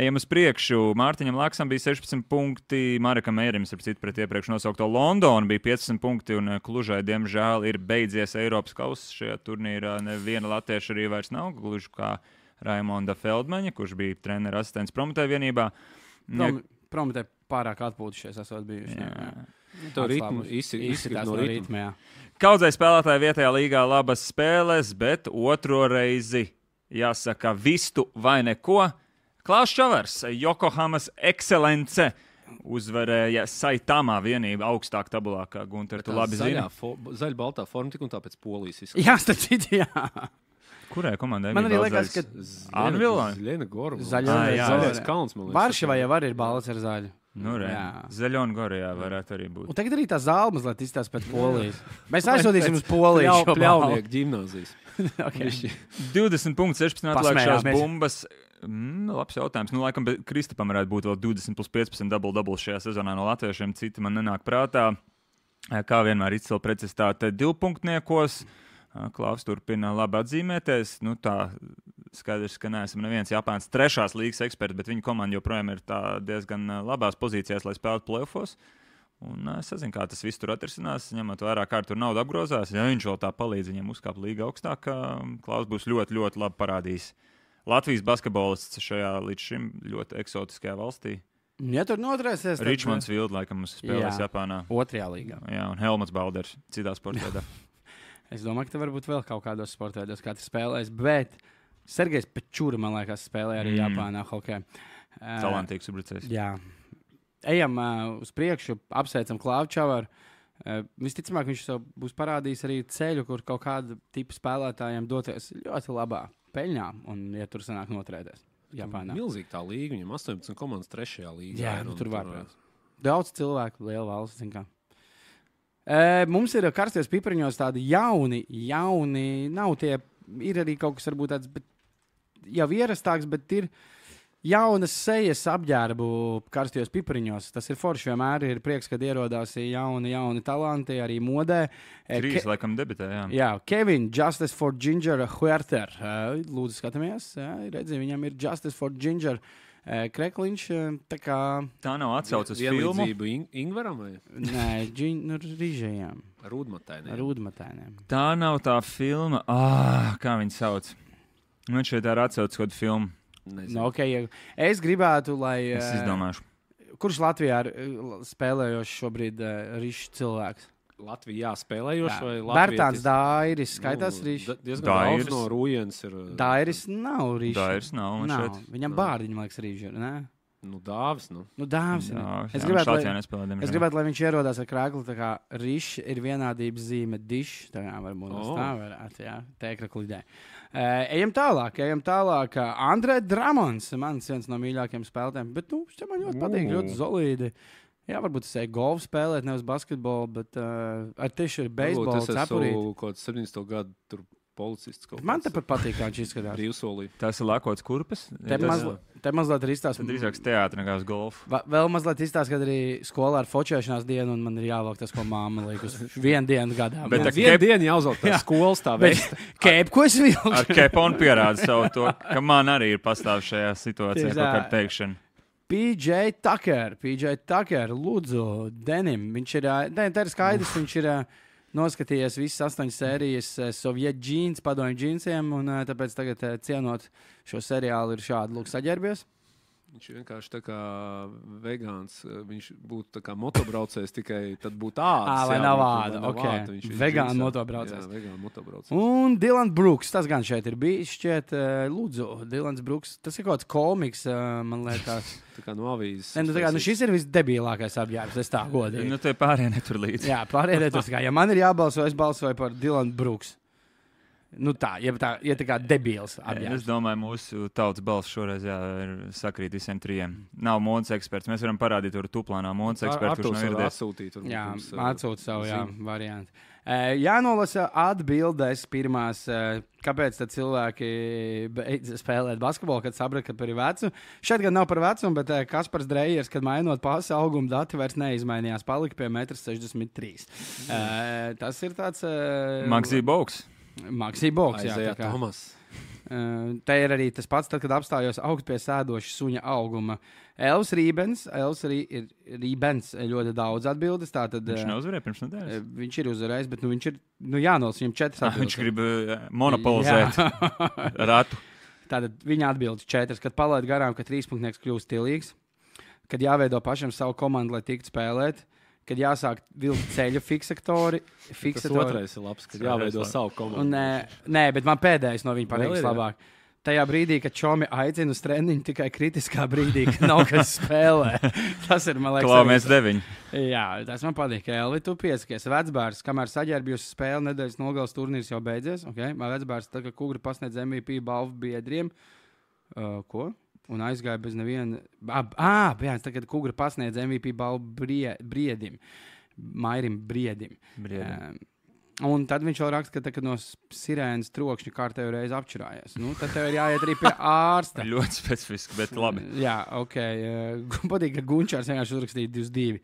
Ejam uz priekšu. Mārtiņam Laksam bija sešpadsmit punkti, Marekam Mērim, starp citu, pret iepriekš nosaukto Londonu bija piecdesmit punkti, un Klužai, diemžēl, ir beidzies Eiropas kauss. Šajā turnīrā neviena latvieša arī vairs nav, gluži kā Raimonda Feldmaņa, kurš bija treneru asistents Prometē vienībā. Prom, Prometē pārāk atpūtušies esot bijuši. Jā. Jā. To ritmu izsitās no ritma, jā. Kaudzei spēlētāji vietējā līgā labas spēles, bet otro reizi, jāsaka, vistu vai neko. Klaus Čavars, Yokohamas ekscelence, uzvarēja Saitamā vienību augstāk tabulā, kā Gunter, tu labi zini. Zaļa baltā forma tik un tāpēc Polijas izskatās. Jā, starp jā. Kurai komandai man arī liekas, ka Anvilā? Zaļa Gorba. Zaļais kalns, man liekas. Varšavā jau arī ir balts ar zaļu. Nu, Zaļona Gorijā varētu arī būt. Un tagad arī tā zāle mazliet izstāsta pēc Polijas. Mēs aizsūtīsim uz Poliju. Pļau, pļaunieku ģimnāzijas. Okay. divdesmit punkti, sešpadsmit atlēkšās bumbas. Mm, labs jautājums. Nu, laikam, Kristapam varētu būt vēl divdesmit plus piecpadsmit double-double šajā sezonā no latviešiem. Citi man nenāk prātā. Kā vienmēr izcila precizitāte divpunktniekos. Klaus turpina labi atzīmēties. Nu, tā skaidrs, ka neesam neviens Japānas trešās līgas eksperts, bet viņa komanda joprojām ir diezgan labās pozīcijās, lai spēlētu playoffos. Un es nezinu, kā tas viss tur atrisinās, ņemot vērā, kā tur nauda apgrozās. Ja viņš vēl tā palīdz viņiem uzkāpt līga augstāk, Klaus būs ļoti, ļoti labi parādījis. Latvijas basketbolists šajā līdz šim ļoti eksotiskajā valstī. Ja tur noturēsies, tad... Richmonds Field, laikam, mums spēlēs jā, Japānā. Otrajā līgā. Jā, un Helmuts Balders citā sportveidā. Es domāju, ka te varbūt vēl kaut kādos sportveidos katrs spēlēs, bet Sergejs Pečūra, man liekas, spēlēja arī mm. Japānā hokeju. Talantīgs uzbrucējs. Jā. Ejam uh, uz priekšu, apsveicam Klaus Čavaru. Uh, visticamāk, viņš būs parādījis arī ceļu, kur kaut kāda tipa spēlētājiem doties ļoti labā peļņā un, ja tur sanāk noturēties Japānā. Milzīgi tā līga, viņam astoņpadsmit komandas trešajā līgā. Jā, nu, tur var. Tur... Daudz cilvēku, liela valsts, zin kā. Uh, mums ir karstajos pipariņos tādi jauni, jauni, nav tie, ir arī kaut kas varbūt tāds, bet jau ierastāks, bet ir jaunas sejas apģērbu karstajos pipariņos. Tas ir forši, vienmēr ir prieks, kad ierodās jauni, jauni talanti, arī modē. Trīs, Ke laikam, debitē, jā. Jā, Kevin, Justice for Ginger Huerter. Uh, lūdzu, skatāmies, jā, redzi, viņam ir Justice for Ginger uh, krekliņš, tā kā... Tā nav atsauc uz filmu? Vienlīdzību in Ingvaram vai? Nē, džin, nu, rīžējām. Rūdmatainiem. Rūdmatainiem. Tā nav tā filma, ah, kā viņi sauc. Man šeit ir atsauc kādu filmu. No, okay. Es gribētu, lai... Es izdomāšu. Kurš Latvijā ir spēlējošs šobrīd uh, rišs cilvēks? Latvijā spēlējošs vai Latvijas? Bērtāns Dairis, skaitās nu, rišs? Diezgan daudz no Rūjens ir... Dairis nav rišs. Dairis nav, man nav. šeit. Viņam bārdiņi, liekas, rišs ir, ne? Nu, Dāvis, nu. Nu, Dāvis. Dāvis es jā, gribētu, lai, nespēlē, es gribētu, lai viņš ierodās ar krākli, tā kā rišs ir vienādības zīme dišs, tā kā varbūt oh. tā varētu, jā, tēkra klidē. Uh, ejam tālāk, ejam tālāk. Andrē Dramons, mans viens no mīļākajiem spēlētājiem, bet, nu, šķiet man ļoti patīk, ļoti solīdi. Jā, varbūt es eju golfu spēlēt, nevis basketbolu, bet uh, ar tieši ir beisbolu cepurīt. Es esmu kaut kāds septiņdesmito gadu tur policists. Man tepat patīk, kā viņš izskatās. Brīvsolī. Tas ir lakots kurpes. Te, mazli, te mazliet ir izstāsts. Drīzāk teātri nekā uz golfu. Va, vēl mazliet izstāsts, kad arī skolā ar fočēšanās dienu, un man ir jāvelk tas, ko māma liek uz vienu dienu gadā. Bet tā vienu dienu jāuzvelk tā skolas tā vesta. Kēp, ko es vilku? Ar keponu pierāda savu to, ka man arī ir pastāv šajā situācijā kaut kāda teikšana. P J Tucker, P J Tucker, lūdzu, Denim. Viņš ir, ne, tā ir skaidrs, viņš ir noskatījies visas astoņas sērijas Soviet džīns, padomju džīnsiem, un tāpēc tagad cienot šo seriālu ir šādi lūk saģērbies. Viņš vienkārši tā kā vegāns, viņš būtu tā kā motobraucējs, tikai tad būtu āds. Ā, vai nav āda, ok. Vegāna motobraucējs. Jā, vegāna motobraucējs. Un Dylan Brooks, tas gan šeit ir bijis, šķiet, lūdzu, Dylans Brooks, tas ir kaut kāds komiks, man liekas. Tā kā no avīzes. Ne, nu, tā kā, nu šis ir visdebilākais apģērbs, es tā godīgi. Nu, te pārējie netur līdzi. Jā, pārējie netur. Ja man ir jābalso, es balsoju par Dylan Brooks. Nu tā, ja tā, ja tā kā debils Es apģērbs. domāju, mūsu tautas balss šoreiz jā, ir sakrīt visiem trijiem. Nav modes eksperts. Mēs varam parādīt tur tuplānā modes ekspertu, kurš nav ieradies. Atsūtīt, Jā, mums, atsūt savu jā, zīmi. variantu. Uh, jānolasa atbildes pirmās, uh, kāpēc tad cilvēki beidz spēlēt basketbolu, kad saprata, ka par vecu. Šeit gan nav par vecumu, bet uh, Kaspars Drejers, kad mainot pasi auguma dati, vairs neizmainījās. Palika pie metrs sešdesmit trīs. Uh, tas ir tāds... Uh, Maksī Boks. Maksī Boks, jā. Aizējā tā kā. Tomas. Uh, te ir arī tas pats, tad, kad apstājos augt pie sēdoša suņa auguma. Elvis Rībens, Elvis Rī, ir Rībens ļoti daudz atbildes. Tātad, Viņš uh, neuzvarēja pirms nedēļas. uh, viņš ir uzvarējis, bet nu, viņš ir nu, jānolas viņam četras Ah, atbildes. viņš grib uh, monopolizēt ratu. Tātad viņa atbildes četras, kad palaid garām, ka trīspunktnieks kļūst stilīgs, kad jāveido pašam savu komandu, lai tiktu spēlēt, kad jāsāk vilkt ceļu fiksaktori. Tas fiksatori. otrais ir labs, kad jāveido savu komandu. Un, nē, nē, bet man pēdējais no viņa Vēl pateiks ir, jā? labāk. Tajā brīdī, kad čomi aicina uz treniņu, tikai kritiskā brīdī, kad nav kas spēlē. Tas ir, man liekas, Klau, arī- mēs deviņi. Jā, tas man patīk. Elvi, tu piesakies. Vecbārs, kamēr saģērbjos spēli, nedēļas nogales turnīrs jau beidzies. Okay? Man vecbārs, tā kā Kugri pasniedz M V P balvu biedriem. Uh, ko? Un aizgāja bez neviena. Ah, jā, tā kā Kugri pasniedz M V P balvu brie, briedim. Mairim briedim. Briedim. Um, un tad viņš vēl raksta, ka tā, no sirēnas trokšņa kārtējo reizi apčurājies. Nu, tad tev ir jāiet arī pie ārsta. Ļoti specifiski, bet labi. Jā, ok. Uh, patīk, ka Gunčārs vienkārši uzrakstīja divdesmit divi.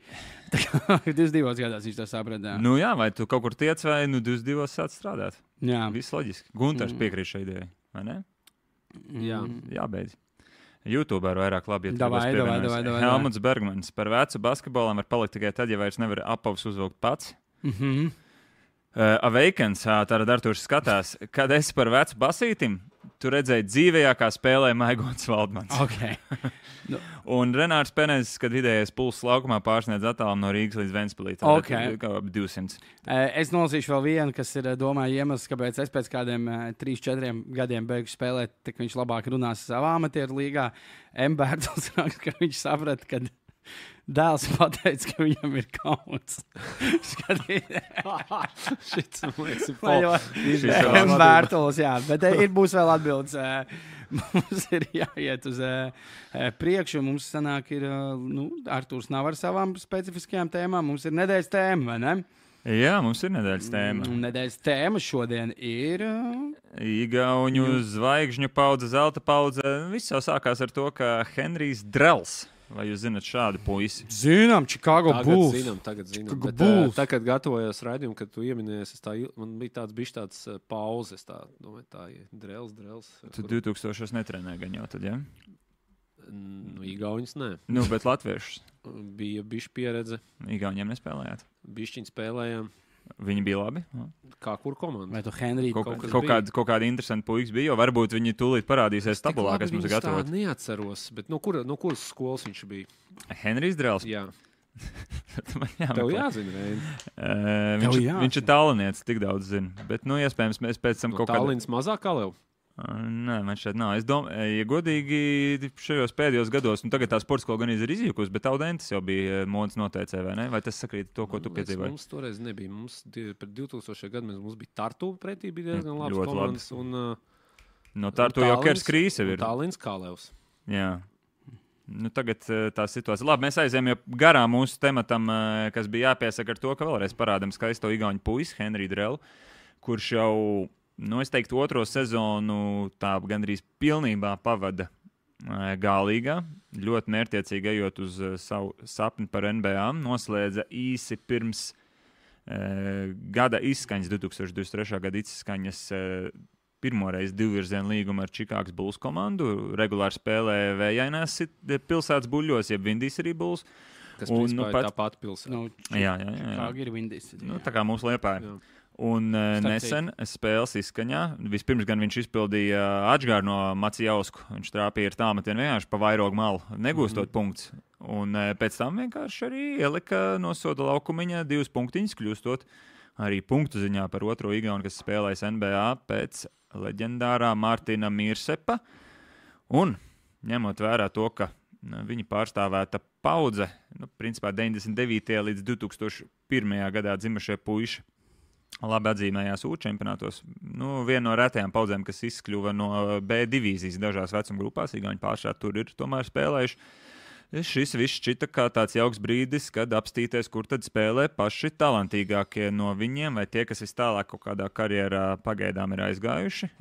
Tā kā divdesmit divos gados viņš to saprata. Nu jā, vai tu kaut kur tiec, vai nu divdesmit divos sāc strādāt? Jā. Viss loģiski. Gunters Mm. piekrīt šai idejai, vai ne? Jā. Jābeidz. YouTube ir vairāk labi. Ja Davai, tu gribas davai, pievienoties. davai, davai, Helmuts Bergmans par vecu basketbolam var palikt tikai tad, ja vairs nevar apavus uzvilkt pats. Mm -hmm. Uh, Awakens, uh, tātad Artūrs skatās, kad esi par vecu basītim, tu redzēji dzīvējā, kā spēlē Maigots Valdmans. Okay. Un Renārs Penezes, kad vidējais pulss laukumā pārsniedz attālumu no Rīgas līdz Ventspilī. Okay. Kā ap divsimt. Es nolasīšu vēl vienu, kas ir, domāju, iemesls, kāpēc es pēc kādiem trīs, četriem gadiem beigšu spēlēt, tad viņš labāk runās savā amatieru līgā. Mbērtls raksta, ka viņš saprata, ka dēls pateica, ka viņam ir kauns. Šits, man liekas, ir Vai jau- Šis vēl Mbērtls, jā, bet eh, ir būs vēl atbildes. eh, Mums ir jāiet uz eh, eh, priekšu. Mums sanāk, ir, eh, nu, Artūrs nav ar savām specifiskajām tēmām. Mums ir nedēļas tēma, vai ne? Jā, mums ir nedēļas tēma. Un nedēļas tēma šodien ir. eh, Igauņu zvaigžņu paudze, zelta paudze. Viss jau sākās ar to, ka Henrijs Drells, vai jūs zinat šādu puisi? Zinām, Chicago Tagad Bulls. zinām, tagad zinām. Chicago Bet, Bulls. uh, tā, kad gatavojos raidījumu, kad tu ieminējies, es tā, il- man bija tāds bišķi tāds uh, pauzes, tā, domāju, tā ir drēls, drēls. Tu divtūkstošos netrenēji gan jau tad, ja? Nu, Igauņas, nē. Nu, bet latviešus. Bija bišķi pieredze, Igauniem nespēlējāt. bišķiņi spēlējām. Viņi bija labi. Kā kur komanda? Vai tu, Henrij, Kaut, Kaut kaut, kas kaut, bija. kāda, kaut kāda interesanta puikas bija, jo varbūt viņi tūlīt parādīsies Tik tabulā, labi kas mums ir viņus tā gatavota. neatceros, bet no, kura, no kuras skolas viņš bija? Henrijs Drells. Jā, Man tev jāmeklē. jāzina, Reini. Uh, Tev viņš, jāzina. viņš ir tālniecis, tik daudz zina. Bet, nu, iespējams, mēs pēc tam No kaut kādā. Tallinas mazāk kā Lev. Uh, Nē, man šeit nav. Es domāju, ja godīgi šajos pēdējos gados, nu tagad tā sports skola gan ir izjukusi, bet Audentis jau bija modes noteicē, vai ne? Vai tas sakrīt ar to, ko tu Man liekas, piedzīvoji? Mums toreiz nebija. Mums die- pret divtūkstošajiem gadiem mums bija Tartu pretī, bija diezgan Mm, labs ļoti komandas. Un, uh, No tā tu jau Kers Krīse un ir. Tallinas kā Levs. Jā. Nu, tagad uh, tā situācija. Labi, mēs aizējām jau garām mūsu tematam, uh, kas bija jāpiesaka ar to, ka vēlreiz parādām skaisto igauņu puisi, Henriju Drellu, kurš jau, nu, es teiktu, otro sezonu tā gandrīz pilnībā pavada uh, Gālīgā. Ļoti mērķiecīgi ejot uz uh, savu sapni par N B A. Noslēdza īsi pirms uh, gada izskaņas, divtūkstoš divdesmit trešā gada izskaņas. Uh, Pirmoreiz divvirzienu līgumu ar Čikāgas Bulls komandu. Regulāri spēlēja Vējainās pilsētas buļļos, jeb Vindīs arī Bulls. Kas Un, un, nu, nu, pat- tā pati pilsēta. Nu, Jā, jā, jā. jā. Kā ir Vindīs? Nu, tā kā mūsu liepāja. Jā. Un uh, Starp nesen spēles izskaņā, vispirms gan viņš izpildīja atžgāru no Macijausku. Viņš trāpīja ar tāmetienu vienkārši pa vairogu malu, negūstot mm -hmm. punktus. Un uh, pēc tam vienkārši arī ielika no soda laukumiņa divus punktiņus, kļūstot arī punktu ziņā par otro igaunu, kas spēlēs N B A pēc leģendārā Mārtiņa Mīrsepa. Un ņemot vērā to, ka nu, viņa pārstāvēta paudze, nu, principā deviņdesmit devītajā līdz divtūkstoš pirmajā gadā dzimušie puiši, labi atzīmējās U čempionātos. Nu, viena no retajām paudzēm, kas izkļuva no B divīzijas dažās vecuma grupās, Igauņi pārsvarā tur ir tomēr spēlējuši. Šis viss šķita kā tāds jauks brīdis, kad apstīties, kur tad spēlē paši talantīgākie no viņiem, vai tie, kas vistālāk kaut kādā karjerā pagaidām ir aizgājuši.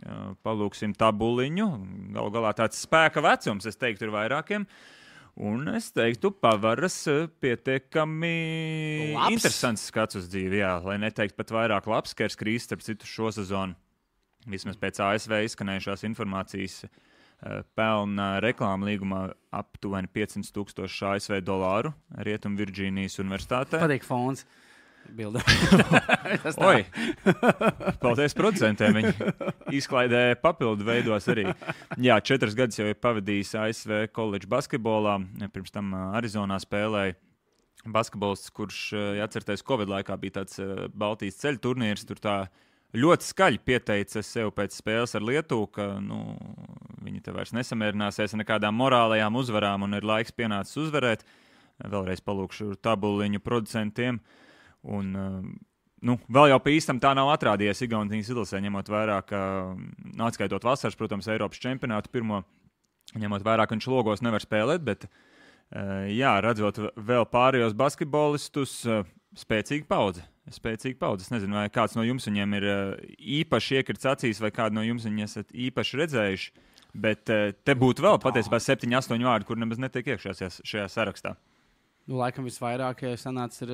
Palūksim tabuliņu. Galu galā tāds spēka vecums, es teiktu, ir vairākiem. Un es teiktu, pavaras pietiekami labs. Interesants skats uz dzīvi, jā, lai neteikt pat vairāk labs, Kers Krīs, starp citu šo sezonu. Vismaz pēc A S V izskanējušās informācijas pelna reklāmu līgumā aptuveni piecsimt tūkstoši A S V dolāru Rietum Virģīnijas universitātē. Patīk fons. Bilda. Oi, paldies producentiem. Viņi izklaidē papildu veidos arī. Jā, četras gadus jau ir pavadījis A S V koledžu basketbolā. Pirms tam Arizonā spēlēja basketbolists, kurš, ja atcerties, Covid laikā bija tāds Baltijas ceļu turnīrs. Tur tā ļoti skaļi pieteica sev pēc spēles ar Lietuvu, ka nu, viņi te vairs nesamierināsies ar nekādām morālajām uzvarām un ir laiks pienācis uzvarēt. Vēlreiz palūkšu tabuliņu producentiem. Un, nu, vēl jau pa īstam tā nav atrādījies Igaunijas izlasē, ņemot vērā, ka, nu, atskaitot vasaras, protams, Eiropas čempionātu pirmo, ņemot vērā, ka viņš logos nevar spēlēt, bet, jā, redzot vēl pārējos basketbolistus, spēcīga paudze. Spēcīga paudze. Es nezinu, vai kāds no jums viņiem ir īpaši iekrits acīs, vai kādu no jums viņi esat īpaši redzējuši, bet te būtu vēl patiesībā septiņi, astoņi vārdi, kur nemaz netiek iekšā šajā, šajā sarakstā. Nu, laikam visvairāk sanāca ir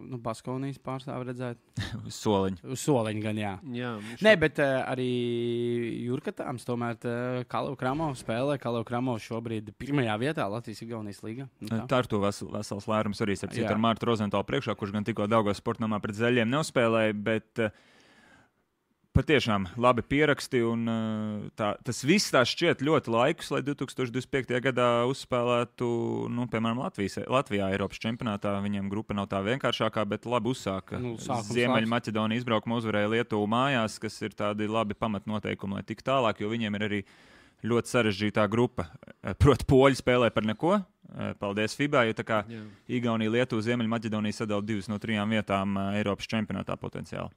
nu, Baskonijas pārstāvi redzēt. Uz soliņa. Uz soliņa gan, jā. jā Nē, bet uh, arī Jurkatāms tomēr Kalevs Kramovs spēlē. Kalevs Kramovs šobrīd pirmajā vietā Latvijas-Igaunijas līgā. Nu, tā. tā ir to vesel, vesels lērums arī ar citu ar Mārtu Rozentālu priekšā, kurš gan tikko Daugavas sportnamā pret Zaļiem neuzspēlēja, bet uh, patiešām labi pieraksti, un tā, tas viss tā šķiet ļoti laikus, lai divi tūkstoši divdesmit piektajā gadā uzspēlētu, nu, piemēram, Latvijas, Latvijā Eiropas čempionātā. Viņiem grupa nav tā vienkāršākā, bet labi uzsāka. Nu, Ziemeļmaķedonija izbraukuma uzvarēja Lietuvu mājās, kas ir tādi labi pamatnoteikumi, lai tik tālāk, jo viņiem ir arī ļoti sarežģītā grupa. Proti, poļi spēlē par neko. Paldies FIBA, jo tā kā Jā. Igaunija, Lietuva, Ziemeļmaķedonija sadala divas no trijām vietām Eiropas čempionātā potenciāli.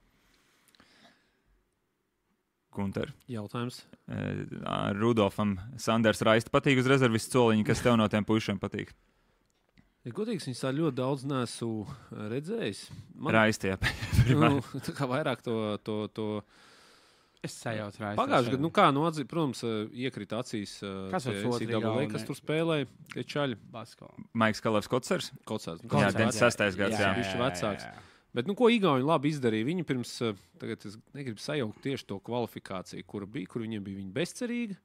Gunter. Jautājums. Rudolfam Sanders Raista patīk uz rezervistu soliņu, kas tev no tiem puišiem patīk? Ja godīgs, viņus tā ļoti daudz neesmu redzējis. Man... Raista, jā. nu, tā kā vairāk to... to, to... Es sajaucu Raista. Pagājuši gadu, nu kā, nu atzīt, protams, iekrita acīs. Kas ir otrs? Kas tur spēlēja? Tie čaļi. Basko. Maiks Kalevs Kocers. Kocers. Nu, jā, deviņdesmit sestais gads, jā. Viņš ir vecāks. Bet, nu, ko Igauni labi izdarīja? Viņi pirms, tagad es negribu sajaukt tieši to kvalifikāciju, kura bija, kur viņiem bija viņa bezcerīga.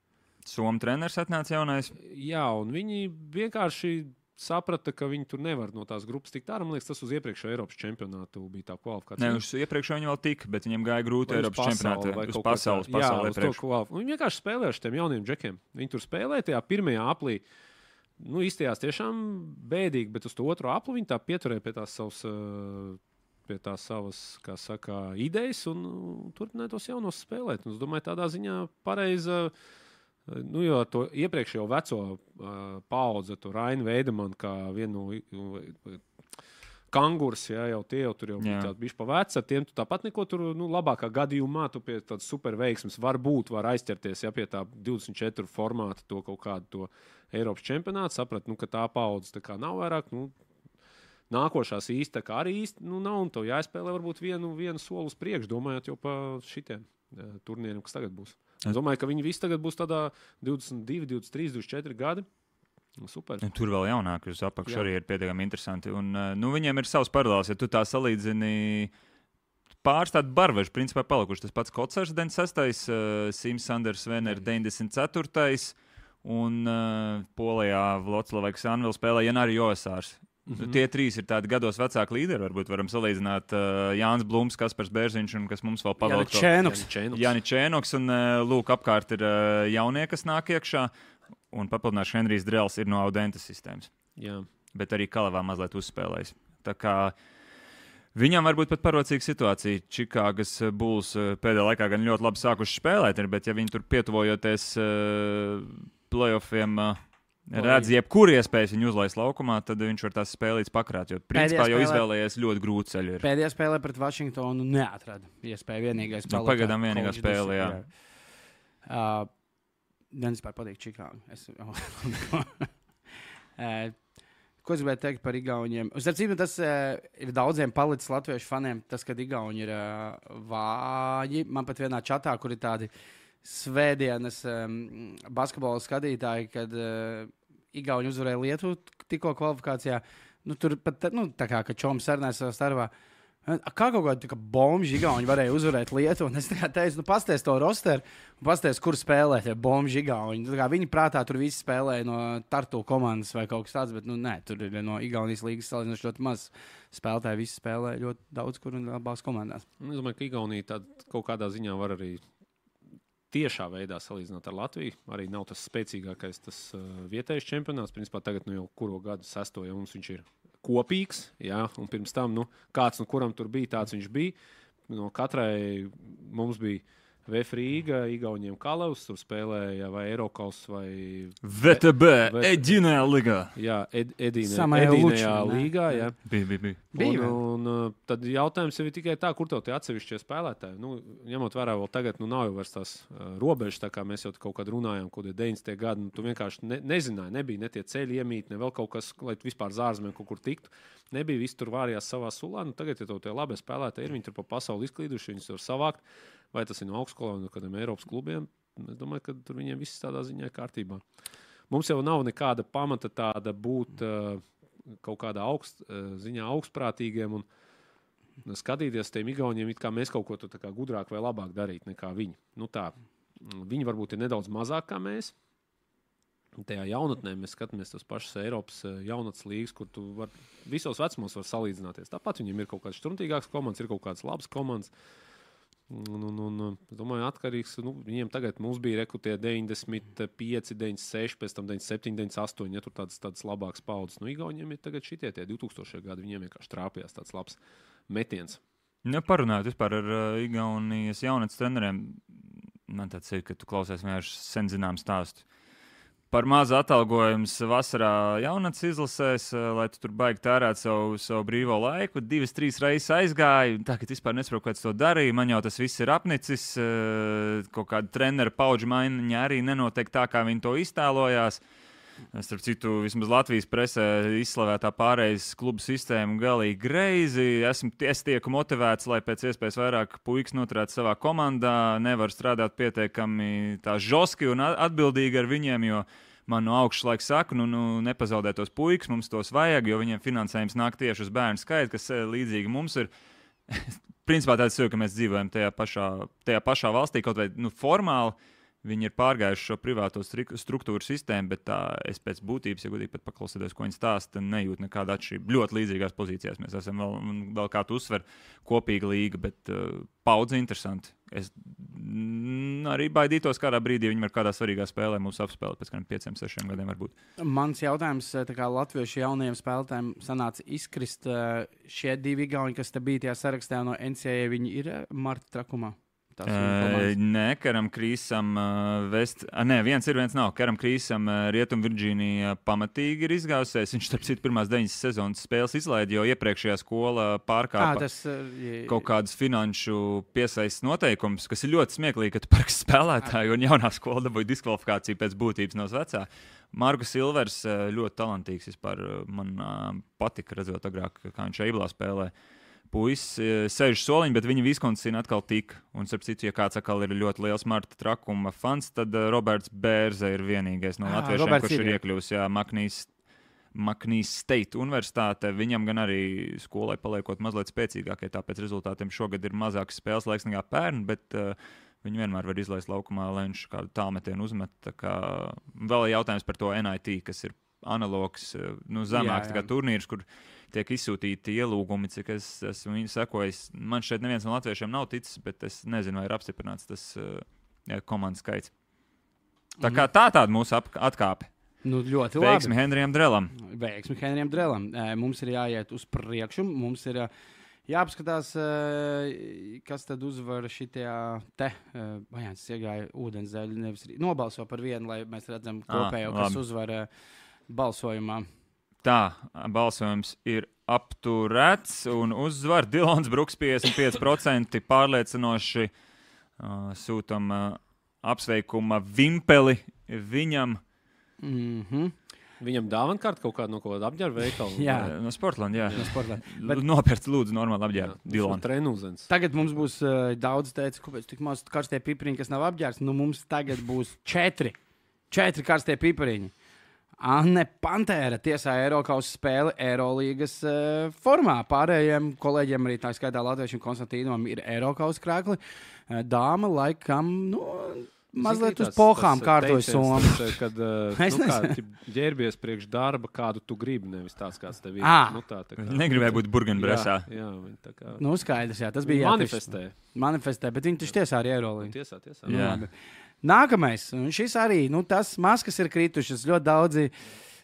Somu treneris atnāca jaunais. Jā, un viņi vienkārši saprata, ka viņi tur nevar no tās grupas tikt ārā. Man liekas, tas uz iepriekšējo Eiropas čempionātu bija tā kvalifikācija. Ne, uz iepriekšējo viņi vēl tika, bet viņiem gāja grūti Eiropas čempionātu. Uz pasaules, jā, pasaulē uz to kvalifikāciju. Viņi vienkārši spēlēja ar šiem jauniem džekiem. Viņi tur spēlēja tajā pirmajā aplī. Nu, izstījās tiešām bēdīgi, bet uz to otro apli viņi tā pieturēja pie tās savas... pie tās savas, kā saka, idejas un uh, turpināja tos jaunos spēlēt. Un es domāju, tādā ziņā pareiza, uh, nu, jo to iepriekšējo veco uh, paudze, to Rainu Veidemanu, kā vienu uh, kangurs, jā, jau tie jau tur jau bija tādi bišķi pa veci, ar tiem tu tāpat neko tur, nu, labākā gadījumā tu pie tādas super veiksmes varbūt var aizķerties, ja pie tā divdesmit četru formāta to kaut kādu to Eiropas čempionātu, saprat, nu, ka tā paudze tā kā nav vairāk, nu, nākošās īsti arī īsti nu, nav, un tev jāspēlē varbūt vienu, vienu soli uz priekšu, domājot jau par šitiem uh, turnīriem, kas tagad būs. Es domāju, ka viņi visi tagad būs tādā divdesmit divi, divdesmit trīs, divdesmit četri gadi. Super. Tur vēl jaunāk uz apakšu arī ir pietiekami interesanti. Un, nu, viņiem ir savs paralēls, ja tu tā salīdzini pāris tādu barvežu, principā palikuši. Tas pats Kocers deviņdesmit sestais, uh, Sims Sanders Vener deviņdesmit ceturtais un uh, Polijā Vloclaveks Anvils spēlē Janari Josārs. Mm-hmm. Tie trīs ir tādi gados vecāki līderi. Varbūt varam salīdzināt uh, Jānis Blums, Kaspars Bērziņš un kas mums vēl pavalk. Jāni Čēnoks. Jāni Čēnoks un uh, lūk, apkārt ir uh, jaunie, kas nāk iekšā. Un papildināšu Henrijs Drels ir no Audentas sistēmas. Jā. Bet arī Kalevā mazliet uzspēlējis. Tā kā viņam varbūt pat parocīga situācija. Čikāgas Bulls uh, pēdējā laikā gan ļoti labi sākuši spēlēt, bet ja viņi tur pietuvojoties uh, playoffiem... Uh, redz jebkuru iespēju viņu uzlaist laukumā, tad viņš var tās spēlītas pakrāt. Jo principā jau izvēlējies ļoti grūti ceļu. Pēdējā spēlē pret Vašingtonu neatrada iespēju vienīgais spēlētājs. Nu, pagaidām vienīgā spēle, jā. jā. Uh, Man vispār patīk Čikāga. Es... uh, ko es gribēju teikt par Igauniem? Uzsarcību, tas uh, ir daudziem palicis latviešu faniem, tas, ka Igauni ir uh, vāji. Man pat vienā čatā, kur ir tādi svētdienas um, basketbola skatītāji, kad uh, Igauni uzvarēja Lietuvu tikko kvalifikācijā. Nu, tur pat nu, tā kā Čoms sarunāja savā starpā. Kā kaut kāda bomba Igauni varēja uzvarēt Lietuvu? Un es teicu, nu, pasties to rosteru un pasties, kur spēlē tie bomba Igauni. Viņi prātā tur visi spēlēja no Tartu komandas vai kaut kas tāds, bet nu, nē, tur ir no Igaunijas līgas salīdzinoši ļoti maz spēlētāji. Visi spēlē ļoti daudz, kur un abās komandās. Es domāju, ka Igaunija tād, kaut kādā ziņā var arī tiešā veidā salīdzināt ar Latviju. Arī nav tas spēcīgākais tas uh, vietējais čempionāts. Principā tagad nu, jau kuro gadu sesto, ja mums viņš ir kopīgs, jā, un pirms tam, nu, kāds no kuram tur bija, tāds viņš bija. No katrai mums bija V F Rīga, Igauniem Kalavs, tur spēlēja vai Eirokaus vai V T B, Edinajā līgā. Jā, ed, Edinajā līgā, jā. Bija, bija, bija. Un, un, un tad jautājums ir tikai tā, kur tev tie atsevišķie spēlētāji. Nu, ņemot vērā vēl tagad, nu nav jau vairs tās uh, robežas, tā kā mēs jau kaut kad runājām, kaut kādi deviņdesmitie gadi, nu, tu vienkārši ne, nezināji, nebija ne tie ceļi iemīt, ne vēl kaut kas, lai vispār zārzmēm kaut kur tiktu. Nebija, visi tur vārījās savā sulā. Nu, tagad, ja tev tie labie spēlētāji ir, viņi tur pa pasauli izklīduši, viņus var savākt. Vai tas ir no augstskolām, no kādiem Eiropas klubiem? Es domāju, ka tur viņiem viss tādā ziņā ir kārtībā. Mums jau nav nekāda pamata tāda būt uh, kaut kādā augst, uh, ziņā augstprātīgiem un skatīties tiem Igauniem, it kā mēs kaut ko tā kā gudrāk vai labāk darīt nekā viņi. Nu tā, viņi varbūt ir nedaudz mazāk kā mēs. Tajā jaunatnē mēs skatāmies tos pašus Eiropas jaunatnes līgas, kur tu var, visos vecumos var salīdzināties. Tāpat viņiem ir kaut kādas štrumtīgākas komandas, ir kaut kādas labas komandas. Un, un, un, es domāju, atkarīgs. Nu, viņiem tagad mums bija rekrutie deviņdesmit pieci, deviņdesmit seši, pēc tam deviņdesmit septiņi, deviņdesmit astoņi, ja tur tādas, tādas labākas paudzes. Nu, Igauniem ir tagad šitie tie divtūkstošie gadi, viņiem vienkārši trāpījās tāds labs metiens. Ja parunājot vispār ar uh, Igaunijas jaunatnes treneriem, man tāds ir, ka tu klausies vienkārši sen zinām stāstu. Par mazu atalgojumu vasarā jaunatnes izlasēs, lai tu tur baigi tērēt savu, savu brīvo laiku. Divas, trīs reizes aizgāju. Tā, ka vispār nesaprotu, kāds to darīja. Man jau tas viss ir apnicis. Kaut kāda trenera paudžu maiņa arī nenotiek tā, kā viņi to iztēlojās. Starp citu, vismaz Latvijas presē izslavētā pārējais klubu sistēma galīgi greizi. Esmu es tieku motivēts, lai pēc iespējas vairāk puikas noturētu savā komandā. Nevar strādāt pietiekami tā žoski un atbildīgi ar viņiem, jo man no augšas laika saka, nu, nu nepazaudē tos puikas, mums tos vajag, jo viņiem finansējums nāk tieši uz bērnu skaitu, kas līdzīgi mums ir. Principā tāds ir, ka mēs dzīvojam tajā pašā, tajā pašā valstī, kaut vai nu, formāli. Viņi ir pārgājuši šo privāto struktūru sistēmu, bet tā es pēc būtības, ja godīgi pat paklausīties, ko viņi stāsta, nejūtu nekādu atšķirību. Ļoti līdzīgās pozīcijās mēs esam vēl, vēl kā tu uzsver, kopīga līga, bet uh, paudze interesanti. Es mm, arī baidītos kādā brīdī, viņi var kādā svarīgā spēlē mūs apspēlēt pēc kādiem pieciem, sešiem gadiem varbūt. Mans jautājums, tā kā latviešu jaunajiem spēlētājiem sanāca izkrist, šie divi Igauni, kas te bija tajā sarakstā no N C A A, viņi ir Marta trakumā? Uh, nē, Karam Krīsam uh, vest... uh, nē, viens ir, viens nav. Karam Krīsam uh, Rietumvirģīnija pamatīgi ir izgājusies. Viņš, starp citu, pirmās deviņas sezonas spēles izlaida, jo iepriekšējā skola pārkāpa à, tas, uh, je... kaut kādus finanšu piesaistes noteikumus, kas ir ļoti smieklīgi, ka tu parks spēlētāju un jaunā skola dabūja diskvalifikāciju pēc būtības no vecā. Markus Silvers uh, ļoti talantīgs vispār. Man uh, patika redzot agrāk, kā viņš Eiblā spēlē. Puisi sēž soliņi, bet viņa Viskonsina atkal tika. Un, starp citu, ja kāds atkal ir ļoti liels Marta trakuma fans, tad uh, Roberts Bērze ir vienīgais no latviešiem, Roberts kurš ir, ir iekļūs Maknīs, Maknīs State universitāte. Viņam gan arī skolai paliekot mazliet spēcīgākai, tāpēc rezultātiem šogad ir mazāks spēles laiks nekā pērn, bet uh, viņi vienmēr var izlaist laukumā, lai viņš kādu tālmetienu uzmet. Tā kā vēl ir jautājums par to N I T, kas ir analogs, nu, zemāks jā, jā. turnīrs, kur tiek izsūtīti ielūgumi, cik es esmu viņu sekojis. Man šeit neviens no latviešiem nav ticis, bet es nezinu, vai ir apstiprināts tas jā, komandas skaits. Tā kā tā tāda mūsu ap- atkāpe. Nu, ļoti labi. Veiksmi Henrijam Drelam. Veiksmi Henrijam Drelam. Mums ir jāiet uz priekšu, mums ir jāapskatās, uh, kas tad uzvar šitajā te. Uh, Vajāns iegāja ūdenzēļu, nevis nobalso par vienu, lai mēs redzam kopējo, ah, kas uzvar uh, balsojumā. Tā, balsojums ir apturēts un uzvar Dilons Bruks piecdesmit pieci procenti pārliecinoši uh, sūtam uh, apsveikuma vimpeli viņam. Mhm. Viņam dāvana kārta kaut kāda no kaut kāda apģērba veikala. Jā. No Sportland, jā. No Sportland. Bet... Nopērts lūdzu normāli apģērbu. Dilon. Trenūzens. Tagad mums būs uh, daudz teica, kāpēc tik maz karstie pipariņi, kas nav apģērbs. Nu, mums tagad būs četri. Četri karstie pipariņi. Anne Pantēra tiesā Eirokausa spēli Eirolīgas uh, formā. Pārējiem kolēģiem, arī tā skaitā Latviešiem Konstantīnam, ir Eirokausa krākli. Uh, dāma laikam, nu... Mazliet uz pohām kārtojas somu. Kad uh, nu, kā, ģērbies priekš darba, kādu tu gribi, nevis tāds, kāds tev ir. Ah. Nu, tā, tā kā, negribēja būt burgenbresā. Jā, jā, tā kā... Nu, skaidrs, jā, tas bija manifestē. Jā, manifestē, bet viņi taču tiesā arī Eirolīgi. Tiesā, tiesā. Jā. Nu, nākamais, un šis arī, nu, tas maskas ir kritušas. Ļoti daudzi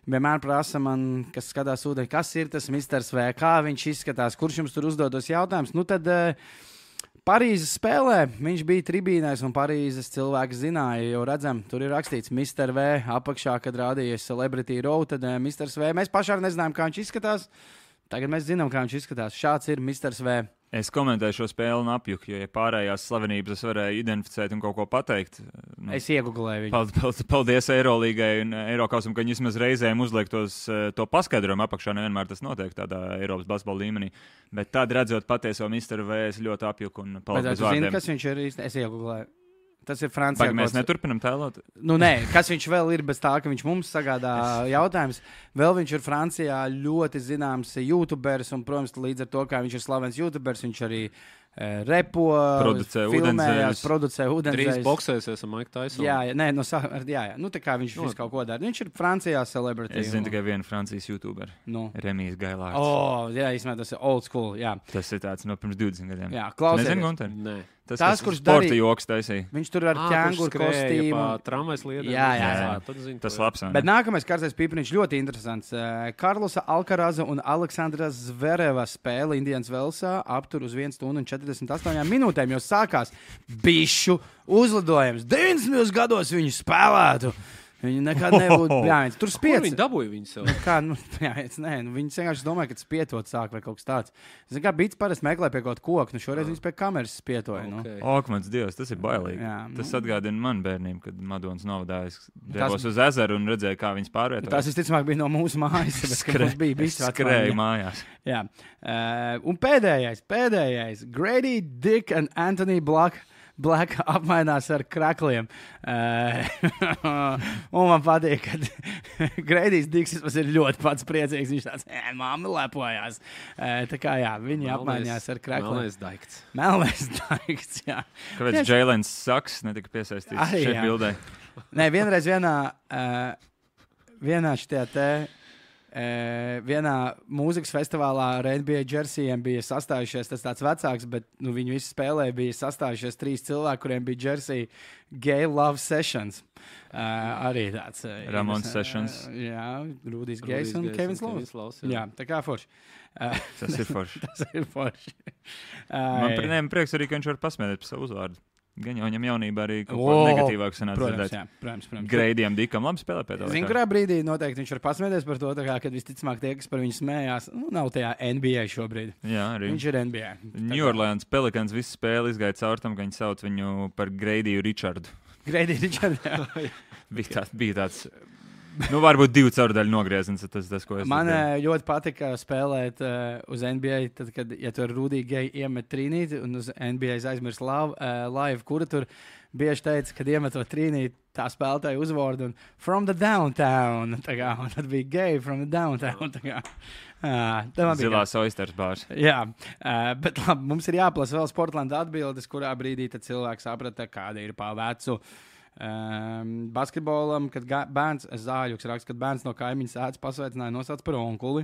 vienmēr prasa man, kas skatās ūdeni, kas ir tas misters V, kā viņš izskatās, kurš jums tur uzdodos jautājums. Nu, tad... Uh, Parīzes spēlē viņš bija tribīnēs, un Parīzes cilvēki zināja, jo redzam, tur ir rakstīts mister V apakšā, kad rādījies Celebrity Row, tad uh, misters V. Mēs paši arī nezinājām, kā viņš izskatās. Tagad mēs zinām, kā viņš izskatās. Šāds ir misters V. Es komentēju šo spēli un apjuku, jo ja pārējās slavenības es varēju identificēt un kaut ko pateikt. Nu, es iegooglēju viņu. Paldies, paldies Eirolīgai un Eirokausam, ka viņi vismaz reizēm uzliek tos, to paskaidrojumu apakšā. Nevienmēr tas notiek tādā Eiropas basketbola līmenī. Bet tad, redzot patieso misteru V, es ļoti apjuku un paldies bez vārdiem. Zini, kas viņš ir īsti? Es iegooglēju. Tas ir Francijā. Vai mēs neturpinam tēlot? Nu, nē, kas viņš vēl ir bez tā, ka viņš mums sagādā jautājums. Vēl viņš ir Francijā ļoti zināms YouTuberis, un, protams, līdz ar to, kā viņš ir slavens YouTuberis, viņš arī uh, repo, producē filmējās, producē ūdenzēļus. Trīs boksēsies ar Mike Tyson. Jā, jā, nē, no, jā, jā. Nu, tā kā viņš no. visu kaut ko dara. Viņš ir Francijā celebrity. Es zinu tikai vienu Francijas YouTuberi. Nu. Remijs Gailārds. O, jā, īstenībā tas ir old school, jā. Tas ir tāds no pirms divdesmit gadiem. Jā, klausies. Nezinu, Gunter? Nē. Tas, tas, kurš darīja sporta joks taisīja. Viņš tur ar ķēnguru kostīmu. Tramvajs lietām. Jā, jā, jā. Tad zinu, tas labs. Bet nākamais karstais pipariņš ļoti interesants. Karlosa Alkaraza un Aleksandra Zvereva spēle Indians Velsā aptur uz vienu stundu un četrdesmit astoņām minūtēm, jo sākās bišu uzlidojums. deviņdesmitos gados viņi spēlētu. Viņi nekad nebūtu. Jā, tur spiedz. Viņi dabūja viņu sev. Kā, nu, jā, nē, nu, viņi vienkārši domāja, ka spietot sāk vai kaut kas tāds. Zinu, kā bīts parasti meklē pie kaut koka, nu šoreiz viņas pie kameras spietoja. Okay. Nu. Ak, mans Dievs, tas ir bailīgi. Jā, nu. Tas atgādina man bērnību, kad Madonas novadājas devos uz ezeru un redzēja, kā viņas pārvietojas. Tas, visticamāk, bija no mūsu mājas, bet Skre, mums bija bijis skrēja mājās. Jā. Uh, un pēdējais, pēdējais. Grady Dick un Anthony Black. Black apmainās ar krakliem. Uh, un man patīk, ka Gradijs Diksis ir ļoti pats priecīgs. Viņš tāds, ē, mamma lepojās. Uh, tā kā jā, viņi Melnais, apmainījās ar krakliem. Melnais daikts. Melnais daikts, jā. Kāpēc Jēlens Saks netika piesaistīts Arī, šeit jā. Bildē? Nē, vienreiz vienā, uh, vienā šitajā te... Uh, vienā mūzikas festivālā ar N B A džersijiem bija sastājušies, tas tāds vecāks, bet nu, viņi visi spēlēja, bija sastājušies trīs cilvēki, kuriem bija džersija Gay Love Sessions. Uh, arī tāds. Uh, Ramons uh, Sessions. Jā, Rudijs Gejs un Kevins Lovs. Jā. jā, tā kā forši. Uh, tas ir forši. tas ir forši. Uh, Man priekš, prieks arī, ka viņš var pasmēties par savu uzvārdu. Gan jau viņam jaunībā arī kaut ko negatīvāku sanāca dzirdēt. Jā, protams, protams. Greidiem Dikam labi spēlē pēc tā. Zinu, kurā brīdī noteikti viņš var pasmēties par to, kā, kad visticamāk tie, kas par viņu smējās, nu, nav tajā N B A šobrīd. Jā, arī. Viņš ir N B A. New Orleans Pelicans visu spēli izgāja caur tam, ka viņi sauc viņu par Greidiju Richardu. Greidiju Richardu, jā. bija, tā, bija tāds... Nu, varbūt divu caurdaļu nogrieziens. Tas, tas, ko es Man uh, ļoti patika spēlēt uh, uz N B A, tad, kad ja tur Rudija Geja iemet trīnīti un uz N B A aizmirst live, uh, live, kura tur bieži teica, kad iemetot trīnīti, tā spēlētāja uzvārdu un from the downtown. Tā kā, un tad bija Geja from the downtown. Tā kā. Uh, Zilās oisters bārs. Jā, uh, bet labi, mums ir jāplasa vēl Sportlanda atbildes, kurā brīdī tad cilvēks saprata, kāda ir pa vecu. Um, basketbolam, kad ga- bērns, Zāļuks raksta, kad bērns no kaimiņas ēdas pasveicināja nosauc par onkuli.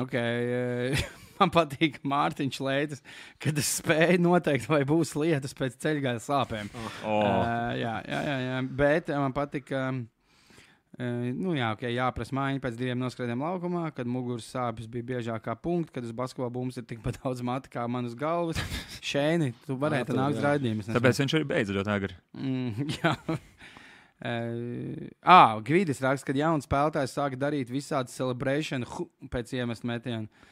Okay, man patīk Mārtiņš Leitis, kad es spēju noteikt, vai būs lietas pēc ceļgājas sāpēm. Oh. Uh, jā, jā, jā, jā, bet man patīk, um, Uh, nu, jā, okay, jāprasa mājiņa pēc diviem noskrēdiem laukumā, kad muguras sāpes bija biežāk kā punkti, kad uz basketbola bumbas ir tikpat daudz matu kā man uz galvas. Šēni, tu varētu nākt uz raidījumus. Tāpēc viņš arī beidz ļoti agri. Mm, jā. Uh, ah, Gvidis raksta, kad jauns spēlētājs sāk darīt visādi celebration hu, pēc iemest metienu. Uh,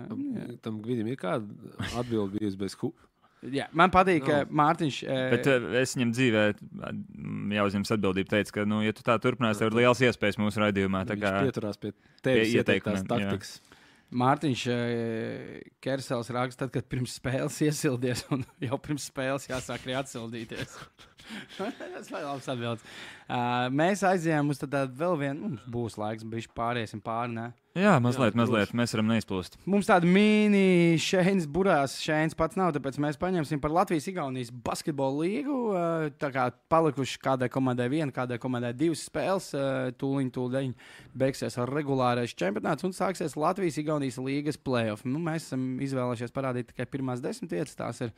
Tam, tam Gvidim ir kāda atbilde bijusi bez hu. Jā, man patīk, ka no. Mārtiņš. Uh, Bet uh, es viņam dzīvē jāuzņems atbildību. Teicu, ka, nu, ja tu tā turpinās, tev ir liels iespējas mūsu raidījumā. Tā kā pieturās pie tevis pie ieteiktās ieteikumiem, taktikas. Mārtiņš uh, Kersels raksta, tad, kad pirms spēles iesildies, un jau pirms spēles jāsāk arī atsildīties. Tas ir labs atbildes. Uh, mēs aizjām uz tādu vēl vienu, mums būs laiks, bišķi pāriesim pāri, ne? jā, mazliet, Jā, mazliet. Mēs varam neizplūst. Mums tāda mini šēns burās, šēns pats nav, tāpēc mēs paņemsim par Latvijas-Igaunijas basketbolu līgu. Uh, tā kā palikuši kādai komandai viena, kādai komandai divas spēles, uh, tūliņ, tūliņ beigsies ar regulārais čempionāts un sāksies Latvijas-Igaunijas līgas playoff. Nu, mēs esam izvēlējušies parādīt tikai pirmās desmit vietas, tās ir.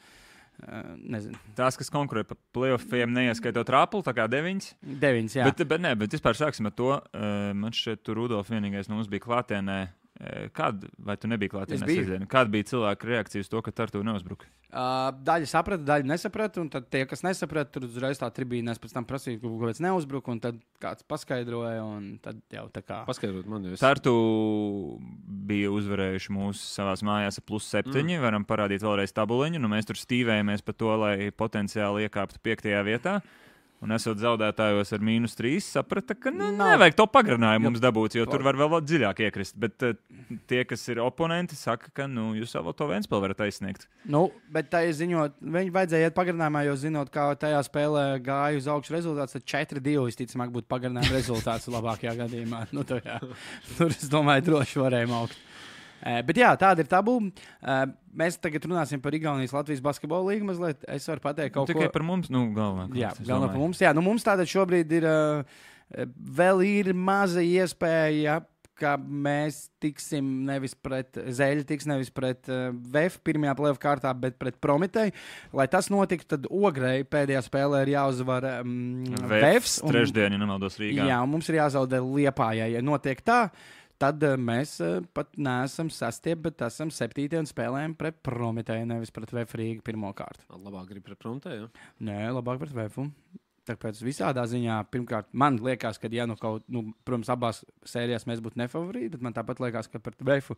Uh, nezinu. Tās, kas konkurē par playoffiem, neieskaitot rāpuli, tā kā deviņas. Deviņas, jā. Bet, bet, nē, bet vispār sāksim ar to. Uh, man šeit tur Rudolf vienīgais no mums bija klātienē. Uh, kāda, vai tu nebija klātienē? Es biju. Sezdienu? Kāda bija cilvēka reakcija uz to, ka Tartu neuzbruka? Uh, daļa saprata, daļa nesaprata, un tad tie, kas nesaprata, tur uzreiz tā tribīnēs pēc tam prasīja, ka kaut kāds neuzbruka, un tad kāds paskaidroja, un tad jau tā kā. Paskaidrot man, jo es... Tartu bija uzvarējuši mūsu savās mājās ar plus septiņi. Mm. Varam parādīt vēlreiz tabuliņu. Nu, mēs tur stīvējamies par to, lai potenciāli iekāptu piektajā vietā. Un esot zaudētājos ar mīnus trīs, saprata, ka nu, nevajag to pagarinājumu mums dabūt, jo tur var vēl dziļāk iekrist. Bet uh, tie, kas ir oponenti, saka, ka nu, jūs vēl to Ventspili varat aizsniegt. Nu, bet tā ir ziņot, viņi vajadzēja iet pagarinājumā, jo zinot, kā tajā spēlē gāja uz augšu rezultāts, tad četri divi visticamāk būtu pagarinājuma rezultāts labākajā gadījumā. Nu, tur, jā, tur, es domāju, droši varējām augt. Uh, bet jā, tāda ir tabula. Uh, mēs tagad runāsim par Igaunijas Latvijas basketbolu līgu mazliet. Es varu pateikt kaut Tikai ko. Tikai par mums, nu, galvenā. Jā, galvenā par mums. Jā, nu mums tātad šobrīd ir, uh, vēl ir maza iespēja, ka mēs tiksim nevis pret Zeļu, tiks nevis pret uh, V E F pirmajā play-off kārtā, bet pret Prometēju. Lai tas notiktu, tad Ogrei pēdējā spēlē ir jāuzvar um, V E F. Trešdien, ja nemaldos Rīgā. Jā, un mums ir jāzaudē Liepājai. Ja notiek tā, tad uh, mēs uh, pat neesam sastie, bet esam septītie un spēlējam pret Prometēju, nevis pret V E F Rīgu pirmo kārtu. Labāk grib pret Prometēju? Nē, labāk pret V E F. Tāpēc visādā ziņā, pirmkārt, man liekas, ka, ja nu kaut, nu, protams, abās sērijās mēs būtu nefavorīti, bet man tāpat liekas, ka pret V E F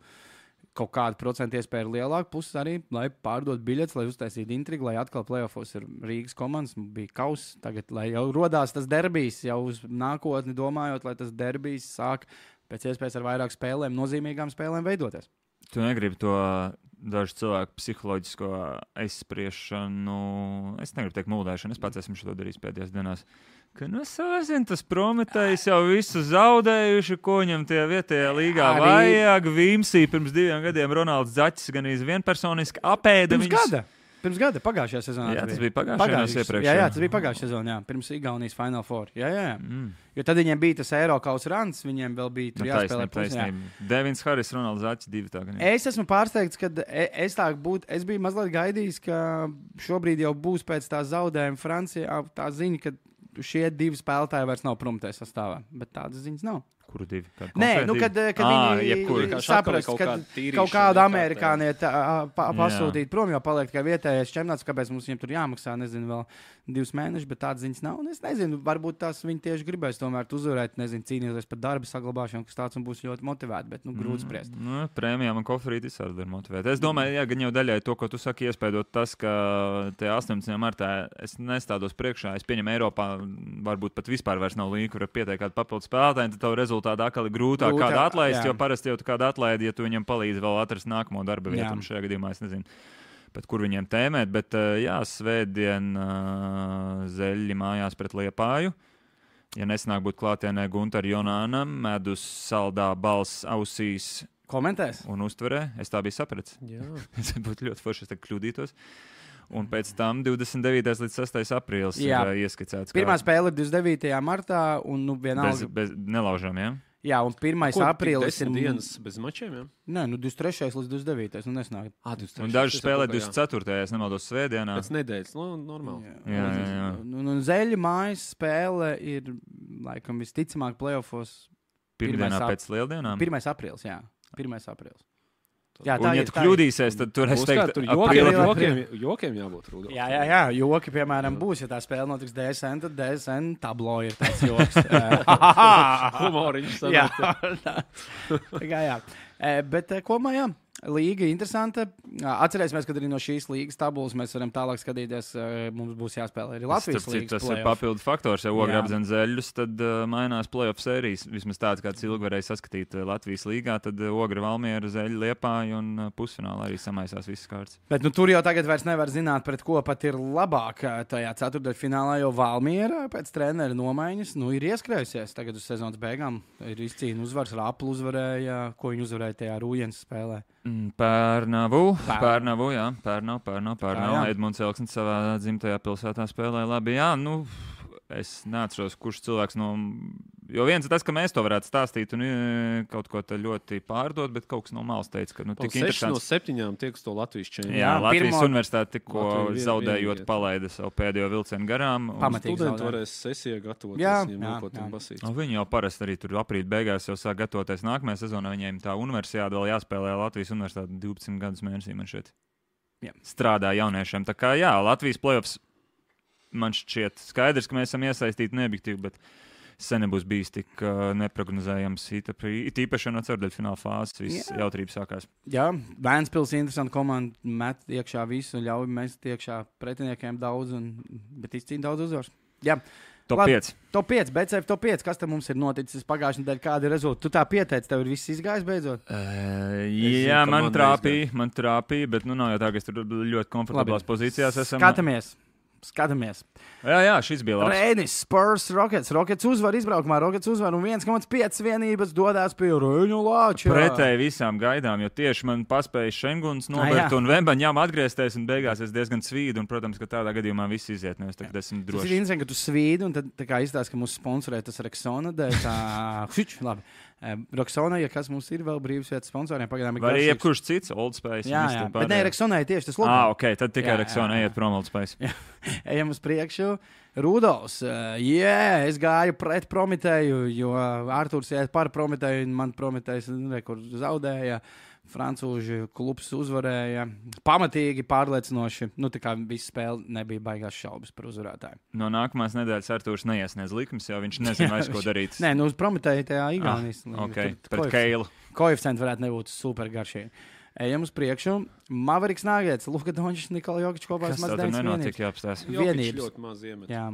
kaut kāda procenta iespēja ir lielāka. Puses arī, lai pārdot biļetes, lai uztaisītu intrigu, lai atkal playoffos ir Rīgas komandas, bija kauss. Tagad, lai jau rodās tas derbijs, jau uz nākotni domājot, lai tas derbijs sāk pēc iespējas ar vairāk spēlēm, nozīmīgām spēlēm veidoties. Tu negribi to dažu cilvēku psiholoģisko aizspriešanu, es negribu teikt muldēšanu, es pats esmu šo darījis pēdējās dienās, ka, nu, es zinu, tas Prometējs jau visu zaudējuši, ko viņam tie vietējā līgā Arī... vajag. Vimsī pirms diviem gadiem Ronalds Zaķis gan iz vienpersoniski apēda Pirms viņus. gada? Pirms gada, pagājušajā sezonā. Jā, tas bija pagājušajā pagājušajā iepriekšējā. Jā, jā, tas bija pagājušajā sezonā, jā, pirms Igaunijas Final Four. Jā, jā, jā. Mm. Jo tad viņiem bija tas Eiropas rants, viņiem vēl bija tur Nu, jāspēlē taisnība, taisnība. Devins Haris, Ronalds Zaķis, divi tā gan. Es esmu pārsteigts, ka es tā būtu, es biju mazliet gaidījis, ka šobrīd jau būs pēc tā zaudējuma Francijā tā ziņa, ka šie divi spēlētāji vairs nav Prometējas sastāvā, bet tādas ziņas nav. Kuru divi? Kādu Nē, konkrētu nu, kad, divi? kad Ā, viņi jebkuru. saprast, kaut ka kāda tīrīšana kaut kādu ir amerikānieti pa, pasūtīt prom, jo paliek tikai vietējais čempionāts, kāpēc mums viņiem tur jāmaksā, nezinu, vēl divus mēnešus, bet tādas ziņas nav. Un es nezinu, varbūt tās viņi tieši gribēs tomēr uzvarēt, nezinu, cīnīties par darba saglabāšanu, kas tāds un būs ļoti motivēti, bet, nu, grūti spriest. Mm, nu, prēmijām un kofrīt visādi var motivēt. Es domāju, jā, gan jau daļai to, ko tu saki, iespējot tas, ka te astoņpadsmitajā martā es nestādos priekšā, es pieņemu Eiropā, varbūt pat vispār vairs nav līga, kur var pieteikt kādu papildus spēlētāju, tad tavu rezultātu atkal ir grūtāk Grūtā, kādu atlaist, jā. jo parasti jau tu kādu atlaidi, ja tu viņam palīdzi vēl atrast nākamo darba vietu, Jā. un šajā gadījumā es nezinu, pat kur viņiem tēmēt, bet jā, svētdien uh, Zeļi mājās pret Liepāju. Ja nesanāk būt klātienē Gunter Jonāna, medus saldā balss ausīs Komentēs? un uztverē, es tā biju sapratis. Jā. Es būtu ļoti forši, es tagad kļūdītos. Un pēc tam divdesmit devītais līdz sastais aprīlis Jā. ir ieskicēts. Pirmā spēle ir divdesmit devītajā martā, un, nu, vienalga. bez, bez nelaužām, jā? Ja? Jā, un pirmais Ko, aprīlis tik ir. desmit dienas bez mačiem, jā? Nē, nu, divdesmit trešais līdz divdesmit devītais Nu, nesnāk. Ah, divdesmit Un trešais daži spēlē Es saprotu, divdesmit ceturtajā ja nemaldos svētdienā. Pēc nedēļas, nu, normāli. Jā, jā, jā. Un, un Zeļa mājas spēle ir laikam visticamāk playoffos. Pirmdienā ap... pēc lieldienām? pirmais aprīlis, jā. pirmais aprīlis. Jā, un, ja tu kļūdīsies, tad tur es teiktu, tur jokiem, jokiem, jokiem jābūt. Rudolf. Jā, jā, jā, joki, piemēram, būs, ja tā spēle notiks D S N, tad D S N tablo ir tāds joks. Humoriņš jā, sanāk. jā, jā. Bet kopumā, jā. Līga interesanta. Atcerēsimies, ka arī no šīs līgas tabulas mēs varam tālāk skatīties. Mums būs jāspēlē arī Latvijas līnijas. Tas ir papildu faktors. Ja ogri apdzen zeļus, tad uh, mainās playoff sērijas. Vismaz tāds, kāds ilgi varēja saskatīt Latvijas līgā, tad ogri Valmiera, zeļi Liepāja un pusfinālā arī samaisās visas kārtas. Bet nu, tur jau tagad vairs nevar zināt, pret ko pat ir labāk tajā ceturtdaļfinālā, jo Valmiera pēc trenera nomaiņas nu, ir ieskrējusies. Tagad uz sezonas beigām ir izcīna uzvars, Raplu uzvarēja, ko viņi uzvarēja tajā Rūjens spēlē. Pērnavu, Pērnavu, jā, Pērnavu, Pērnavu, Pērnavu. Edmunds Elksnis savā dzimtajā pilsētā spēlēja labi. Jā, nu, es neatceros, kurš cilvēks no... Jo viens ir tas, ka mēs to varētu stāstīt un kaut ko te ļoti pārdot, bet kaut kas no malas teica, ka nu tik interesants. No septiņām tiek uz to Latvijas čempionu. Jā, Latvijas pirmo... universitāte tikko Latviju zaudējot vien, palaida savu pēdējo vilcienu garām. Pamatīgi studenti zaudē. varēs sesijā gatavoties. Jā, viņiem jā, nākot jā. un basīt. Nu, viņi jau parasti arī tur aprīļa beigās jau sāk gatavoties nākamajā sezonā. Viņiem tā universitāte vēl jāspēlē Latvijas universitāte divpadsmit gadus mēnesī man šeit. Jā. Strādā jauniešiem. Tā kā jā, Latvijas playoffs man šķiet skaidrs, ka mēs esam iesaistīti neobjektīvi, bet sen nebūs bijis tik uh, neprognozējams. It īpaši no ceturdaļfināla fāzes viss Jā. jautrības sākās. Jā, Vēnspils ir interesanta komanda, met iekšā visu, ļauj mest iekšā pretiniekiem daudz, un, bet izcīna daudz uzvaras. Jā. Top Labi, pieci. Top pieci, B C F top pieci. Kas te mums ir noticis pagājušajā nedēļā? Kāda ir rezultāti? Tu tā pieteici, tev ir viss izgājis beidzot? Uh, zinu, jā, ka man man trāpīja, man trāpīja, bet nu nav jau tā, ka es tur ļoti komfortablās pozīcijās esam. Skatāmies. Skatāmies. Jā, jā, šis bija labs. Rēnis, Spurs, Rockets. Rockets uzvar izbraukumā, Rockets uzvar un viens komats pieci vienības dodās pie Rēņu Lāča. Pretēji visām gaidām, jo tieši man paspēja Šenguns novērt jā. un Vembaņām atgriezties un beigās es diezgan svīdu un, protams, ka tādā gadījumā viss iziet, nevis tagad esmu Tas ir droši. interesanti, ka tu svīdi un tad tā kā izstāst, ka mūsu sponsorē tas Rexona dēļ. Tā, hič, labi. Rexona, ja kas mums ir vēl brīvas vietas sponsoriem, pagaidām ir Vai arī garšīgs. jebkurš cits, Old Spice. Jā, jā. Bet ne, Rexonai tieši tas Ah, logos. ok, tad tikai Jā, Rexona jā, jā. iet prom Old Spice. Ejam uz priekšu. Rudolfs, uh, yeah, es gāju pret Prometēju, jo Artūrs iet par Prometēju, un man Prometējs nekur zaudēja. Francūži klubs uzvarēja. Pamatīgi, pārliecinoši. Nu, tā kā visa spēle nebija baigās šaubas par uzvarētāju. No nākamās nedēļas Artūrs neiesniedz likums, jo viņš nezina vairs, ko darīt. Nē, nu uz Prometēju tajā Igaunijas. Ah, ok, pret Keilu. Koeficienti varētu nebūt super garšīgi. Ejam uz priekšu. Maveriks Nāgēts, Luka Dončis, Nikola Jokič kopā Kas ar tā tur Mazdeņas nenotiek, jāapstās? Vienības. Ļoti maz iemet. Jā.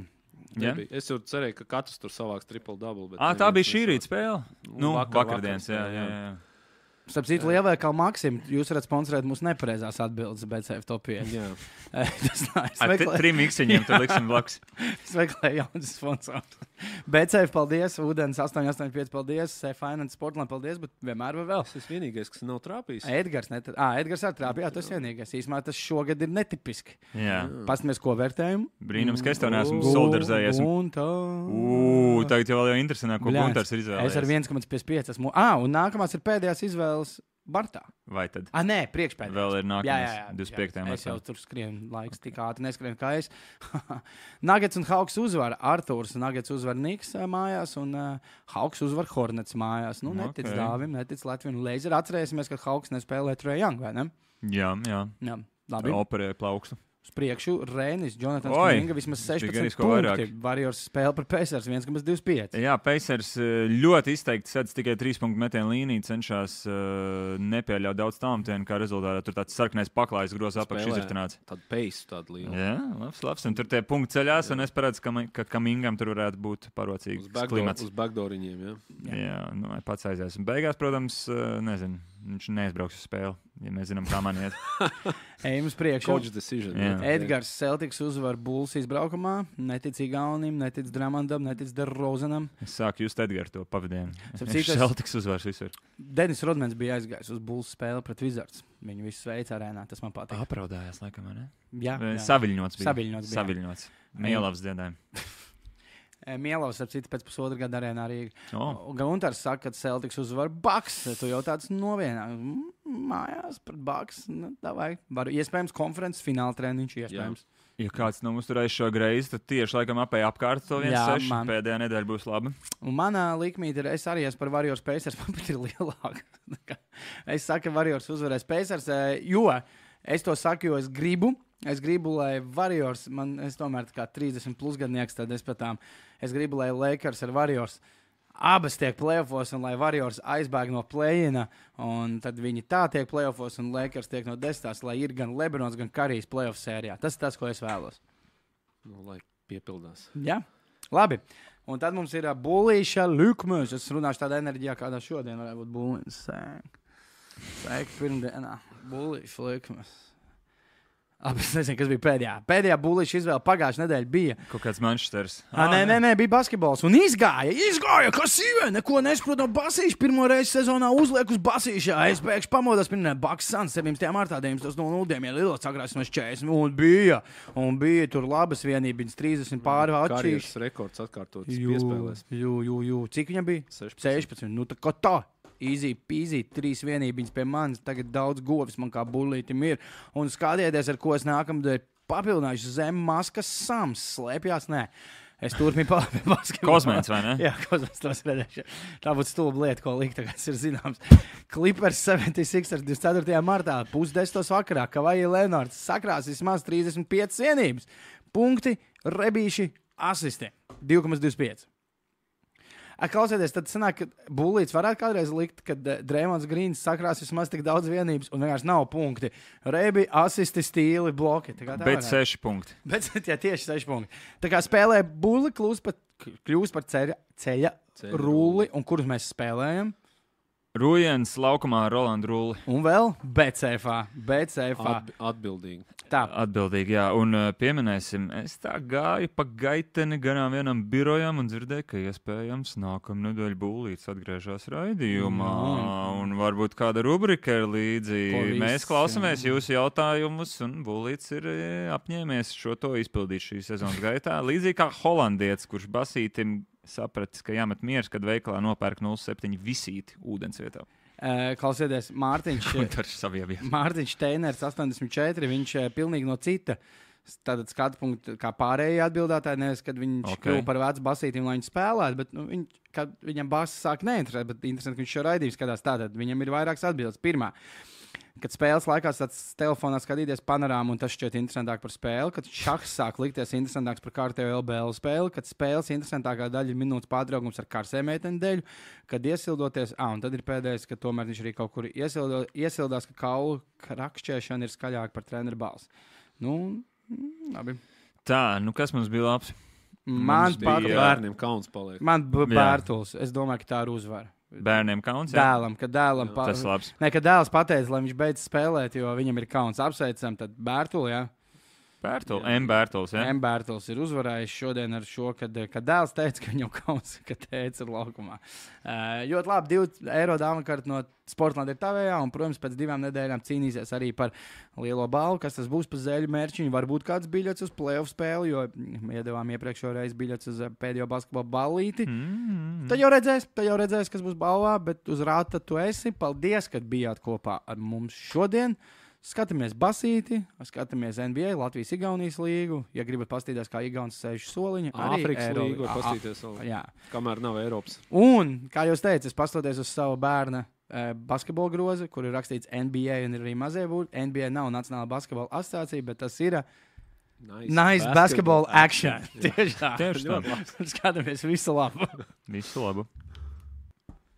Ja? Es jau cerēju, ka katrs tur savāks triple-double. Ah, tā bija šī rīta spēle? Nu, vakar- vakardienas, jā, vakar jā, spēle, jā. Starp citu, lielveikalu Maksim, jūs varat sponsorēt mūsu nepareizās atbildes B C F top pieci. Jā. Tas nā, es Ar meklēju- trim iksiņiem tad liksim blakus. es meklēju jaunas sponsors. B C F, paldies, Ūdens astoņi astoņi pieci, paldies, Finance Sportland, paldies, bet vienmēr var vēl. Es esmu vienīgais, kas nav trāpījis. Edgars, net... ah, Edgars ar trāpījā, tas vienīgais. Īsumā tas šogad ir netipiski. Jā. Pastamies, ko vērtējumu. Brīnums, ka es tev neesmu Gu- soldarzējies. Gunta. Ū, tagad jau vēl jau interesanāk, ko Bļāns. Guntars ir izvēlējies. Es ar viens komats pieci pieci esmu. Ah, un nākamās ir pēdējās izvēles Bartā. Vai tad? Ah, nē, priekšpēdējās. Vēl ir Jā, jā, nākamais jā. divdesmit piektajā Es jau martā. tur skrienu laiks, tik ātri neskrien kā es. Nuggets un Hawks uzvar Artūrs. Nuggets uzvar Niks ā, mājās un uh, Hawks uzvar Hornets mājās. Nu, netic Ok. Dāvim, netic Latviju un Leizer. Atcerēsimies, ka Hawks nespēlē Trae Young, vai ne? Jā, jā. Jā, labi. Operēja plaukstu. Uz priekšu Rēnis, Jonatans Oi, Kuminga, vismaz tikai sešpadsmit risko punkti. vairāk. Warriors spēle par Pacers viens komats divdesmit pieci. Jā, Pacers eh, ļoti izteikti sedz tikai trīs punktu metienu līniju, cenšas uh, nepieļaut daudz tālmetienu, kā rezultātā tur tāds sarkanais paklājs groza apakš izritināts. Tāda peisu, tāda liela. Jā, labs, labs. Un tur tie punkti ceļās, un es paredzu, ka, ka Kamingam tur varētu būt parocīgs Uz, backdoor, klimats. uz backdooriņiem, jā. Jā. Jā, nu, vai pats aizies. Un beigās, protams, eh, nezinu, viņš neizbrauks uz spēli, ja mēs zinām, kā man iet. Ejam uz priekšu. Coach decision. Jā. Edgars Celtics uzvar Bulls izbraukumā. Netic Igaunim, netic Dramandam, netic Derozanam. Es sāku just Edgars to pavadienu. Starp Viņš citu, es- Celtics uzvars visur. Denis Rodmans bija aizgājis uz Bulls spēli pret Wizards. Viņu visu sveic arēnā, tas man patīk. Apraudājās, laikam, vai ne? Jā, Vai jā. Saviļņots bija. Saviļņots bija. Saviļņots. Mielavs dziedājumi. E, Mielovs, ap citu, pēc pusotra gada arēnā arī. Oh. Guntars saka, ka Celtics uzvar Bucks. Tu jau tāds novienā. Mm, Mājās pret Bucks. Nu, davai. Varu, iespējams, konferences fināla treniņš. Iespējams. Ja kāds nav uzturējis šo greizi, tad tieši laikam apēja apkārt to viens seši. Pēdējā nedēļa būs laba. Un manā likmīte ir, es arī esmu par Warriors Pacers, man pat ir lielāka. Es saku, ka Warriors uzvarēs Pacers, jo es to saku, jo es gribu. Es gribu, lai Warriors, man es tomēr tā kā trīsdesmit plus gadnieks, tad es pat tām, es gribu, lai Lakers ar Warriors abas tiek playoffos, un lai Warriors aizbēg no play-ina, un tad viņi tā tiek playoffos, un Lakers tiek no desmitās, lai ir gan Lebrons, gan Karijs playoff sērijā. Tas ir tas, ko es vēlos. Nu, lai piepildās. Jā, labi. Un tad mums ir Bulīša Lukmēs. Es runāšu tādā enerģijā, kādā šodien varētu būt Bulīns. Sēk. Sēk pirmdienā. Bulīša Lukmēs. Abi, es nezinu, kas bija pēdējā. Pēdējā Bulīša izvēle pagājušā nedēļa bija. Kaut kāds Manchesters. Ah, nē, nē, nē, bija basketbols. Un izgāja, izgāja, kas ir. Neko nesaprot no basīša. Pirmo reizi sezonā uzliek uz basīšā. Es pēkšņi pamodos, pirmā Baks Suns, septiņdesmit martā, deviņdesmit nulle nulle, ja lielā sakrās no četrdesmit. Un bija, un bija tur labas vienības, trīsdesmit pāri atšķīši. Karjeras rekords atkārtotas piespēlēs. Jū, jū, jū. Cik viņam bija? sešpadsmit. sešpadsmit. Nu, tā kā tā. Easy, easy, trīs vienības pie manis. Tagad daudz govis man kā bulītim ir. Un skatieties, ar ko es nākamdēļ papildināšu zem maskas sams. Slēpjās, nē. Es turpinu pie basketbola. Kosmēns, vai ne? Jā, kosmēns tos redzēšu. Tā būtu stulba lieta, ko likt, tagad ir zināms. Clippers septiņdesmit seši ar divdesmit ceturtajā martā, pusdesmitos vakarā, Kavaji Leonards sakrās vismaz trīsdesmit piecas vienības. Punkti, rebīši, asisti. divi komats divdesmit pieci. Klausieties, tad sanāk, ka Bulīts varētu kādreiz likt, kad Dreimons Grīns sakrās vismaz tik daudz vienības un vienkārši nav punkti. Rebi, asisti, stīli, bloki. Bet seši punkti. Bet, jā, tieši seši punkti. Tā kā spēlē Bulli, kļūst par, kļūst par ceļa, ceļa, ceļa rulli, un kurus mēs spēlējam? Rujens laukumā ar Rolandu Rulli. Un vēl Betsēfā. Betsēfā. Atb atbildīgi. Tā. Atbildīgi, jā. Un uh, pieminēsim, es tā gāju pa gaiteni garām vienam birojam un dzirdēju, ka iespējams nākamā nedēļa Bulīts atgriežas raidījumā. Mm. Un varbūt kāda rubrika ir līdzi. Polis, Mēs klausamies jā. jūsu jautājumus, un Bulīts ir apņēmies šo to izpildīt šī sezonas gaitā. Līdzīgi kā holandietis, kurš basītim sapratis, ka jāmet miers, kad veikalā nopērk nulle septiņi visīti ūdens vietā. Uh, klausieties, Mārtiņš, Mārtiņš Steiners astoņdesmit četri, viņš uh, pilnīgi no cita tātad skatu punktu, kā pārējie atbildētāji, nevis, kad viņš okay. kļuva par vecu basītīm, lai viņš spēlētu, bet nu, viņ, kad viņam basis sāk neinteresēt, bet interesanti, ka viņš šo raidījumu skatās tātad, viņam ir vairākas atbildes. Pirmā, kad spēles laikā tāds telefonā skatīties panorāmu, un tas šķiet interesantāk par spēli, kad šahs sāk likties interesantāks par kārtējo L B L spēli, kad spēles interesantākā daļa ir minūtes pārtraukums ar karsē meiteņu dēļ, kad iesildoties, ah, un tad ir pēdējais, ka tomēr viņš arī kaut kur iesildo, iesildās, ka kaulu krakšķēšana ir skaļāka par treneru balsi. Nu, labi. Tā, nu kas mums bija labs? Man bija bērniem kauns paliek. Man bija Bērtuls, es domāju, ka tā ir uzvara. Bērniem kauns? Jā? Dēlam, kad dēlam pa... Tas labs. Nē, kad dēls pateica, lai viņš beidz spēlēt, jo viņam ir kauns. Apsveicam, tad Bērtuli, jā. Bērtuls, M. Bērtuls, jā. M. Bērtuls ir uzvarējis šodien ar šo, kad, kad dēls teica, ka viņam kauns, ka teica ir laukumā. Uh, ļoti labi, divi eiro dāvana karta no Sportlandes ir tavējā, un, protams, pēc divām nedēļām cīnīsies arī par lielo balvu, kas tas būs pa zeļu mērķiņu. Varbūt kāds biļets uz playoff spēli, jo iedevām iepriekšējo reizi biļets uz pēdējo basketbola ballīti. Mm-hmm. Tad jau redzēs, tad jau redzēs, kas būs balvā, bet uz rāta tu esi. Paldies, kad bijāt kopā ar mums šodien. Skatāmies basīti, skatāmies N B A, Latvijas Igaunijas līgu. Ja gribat paskatīties, kā Igaunis sēž soliņa, arī Āfrikas Eiro... līgu var paskatīties vēl. Jā. Kamēr nav Eiropas. Un, kā jūs teicat, es pastoties uz savu bērna eh, basketbola grozi, kur ir rakstīts N B A un ir arī mazie būti. N B A nav Nacionāla basketbola asociācija, bet tas ir nice, nice basketball, basketball action. action. Tieši tā. Tieši tā. Skatāmies visu labu. Visu labu.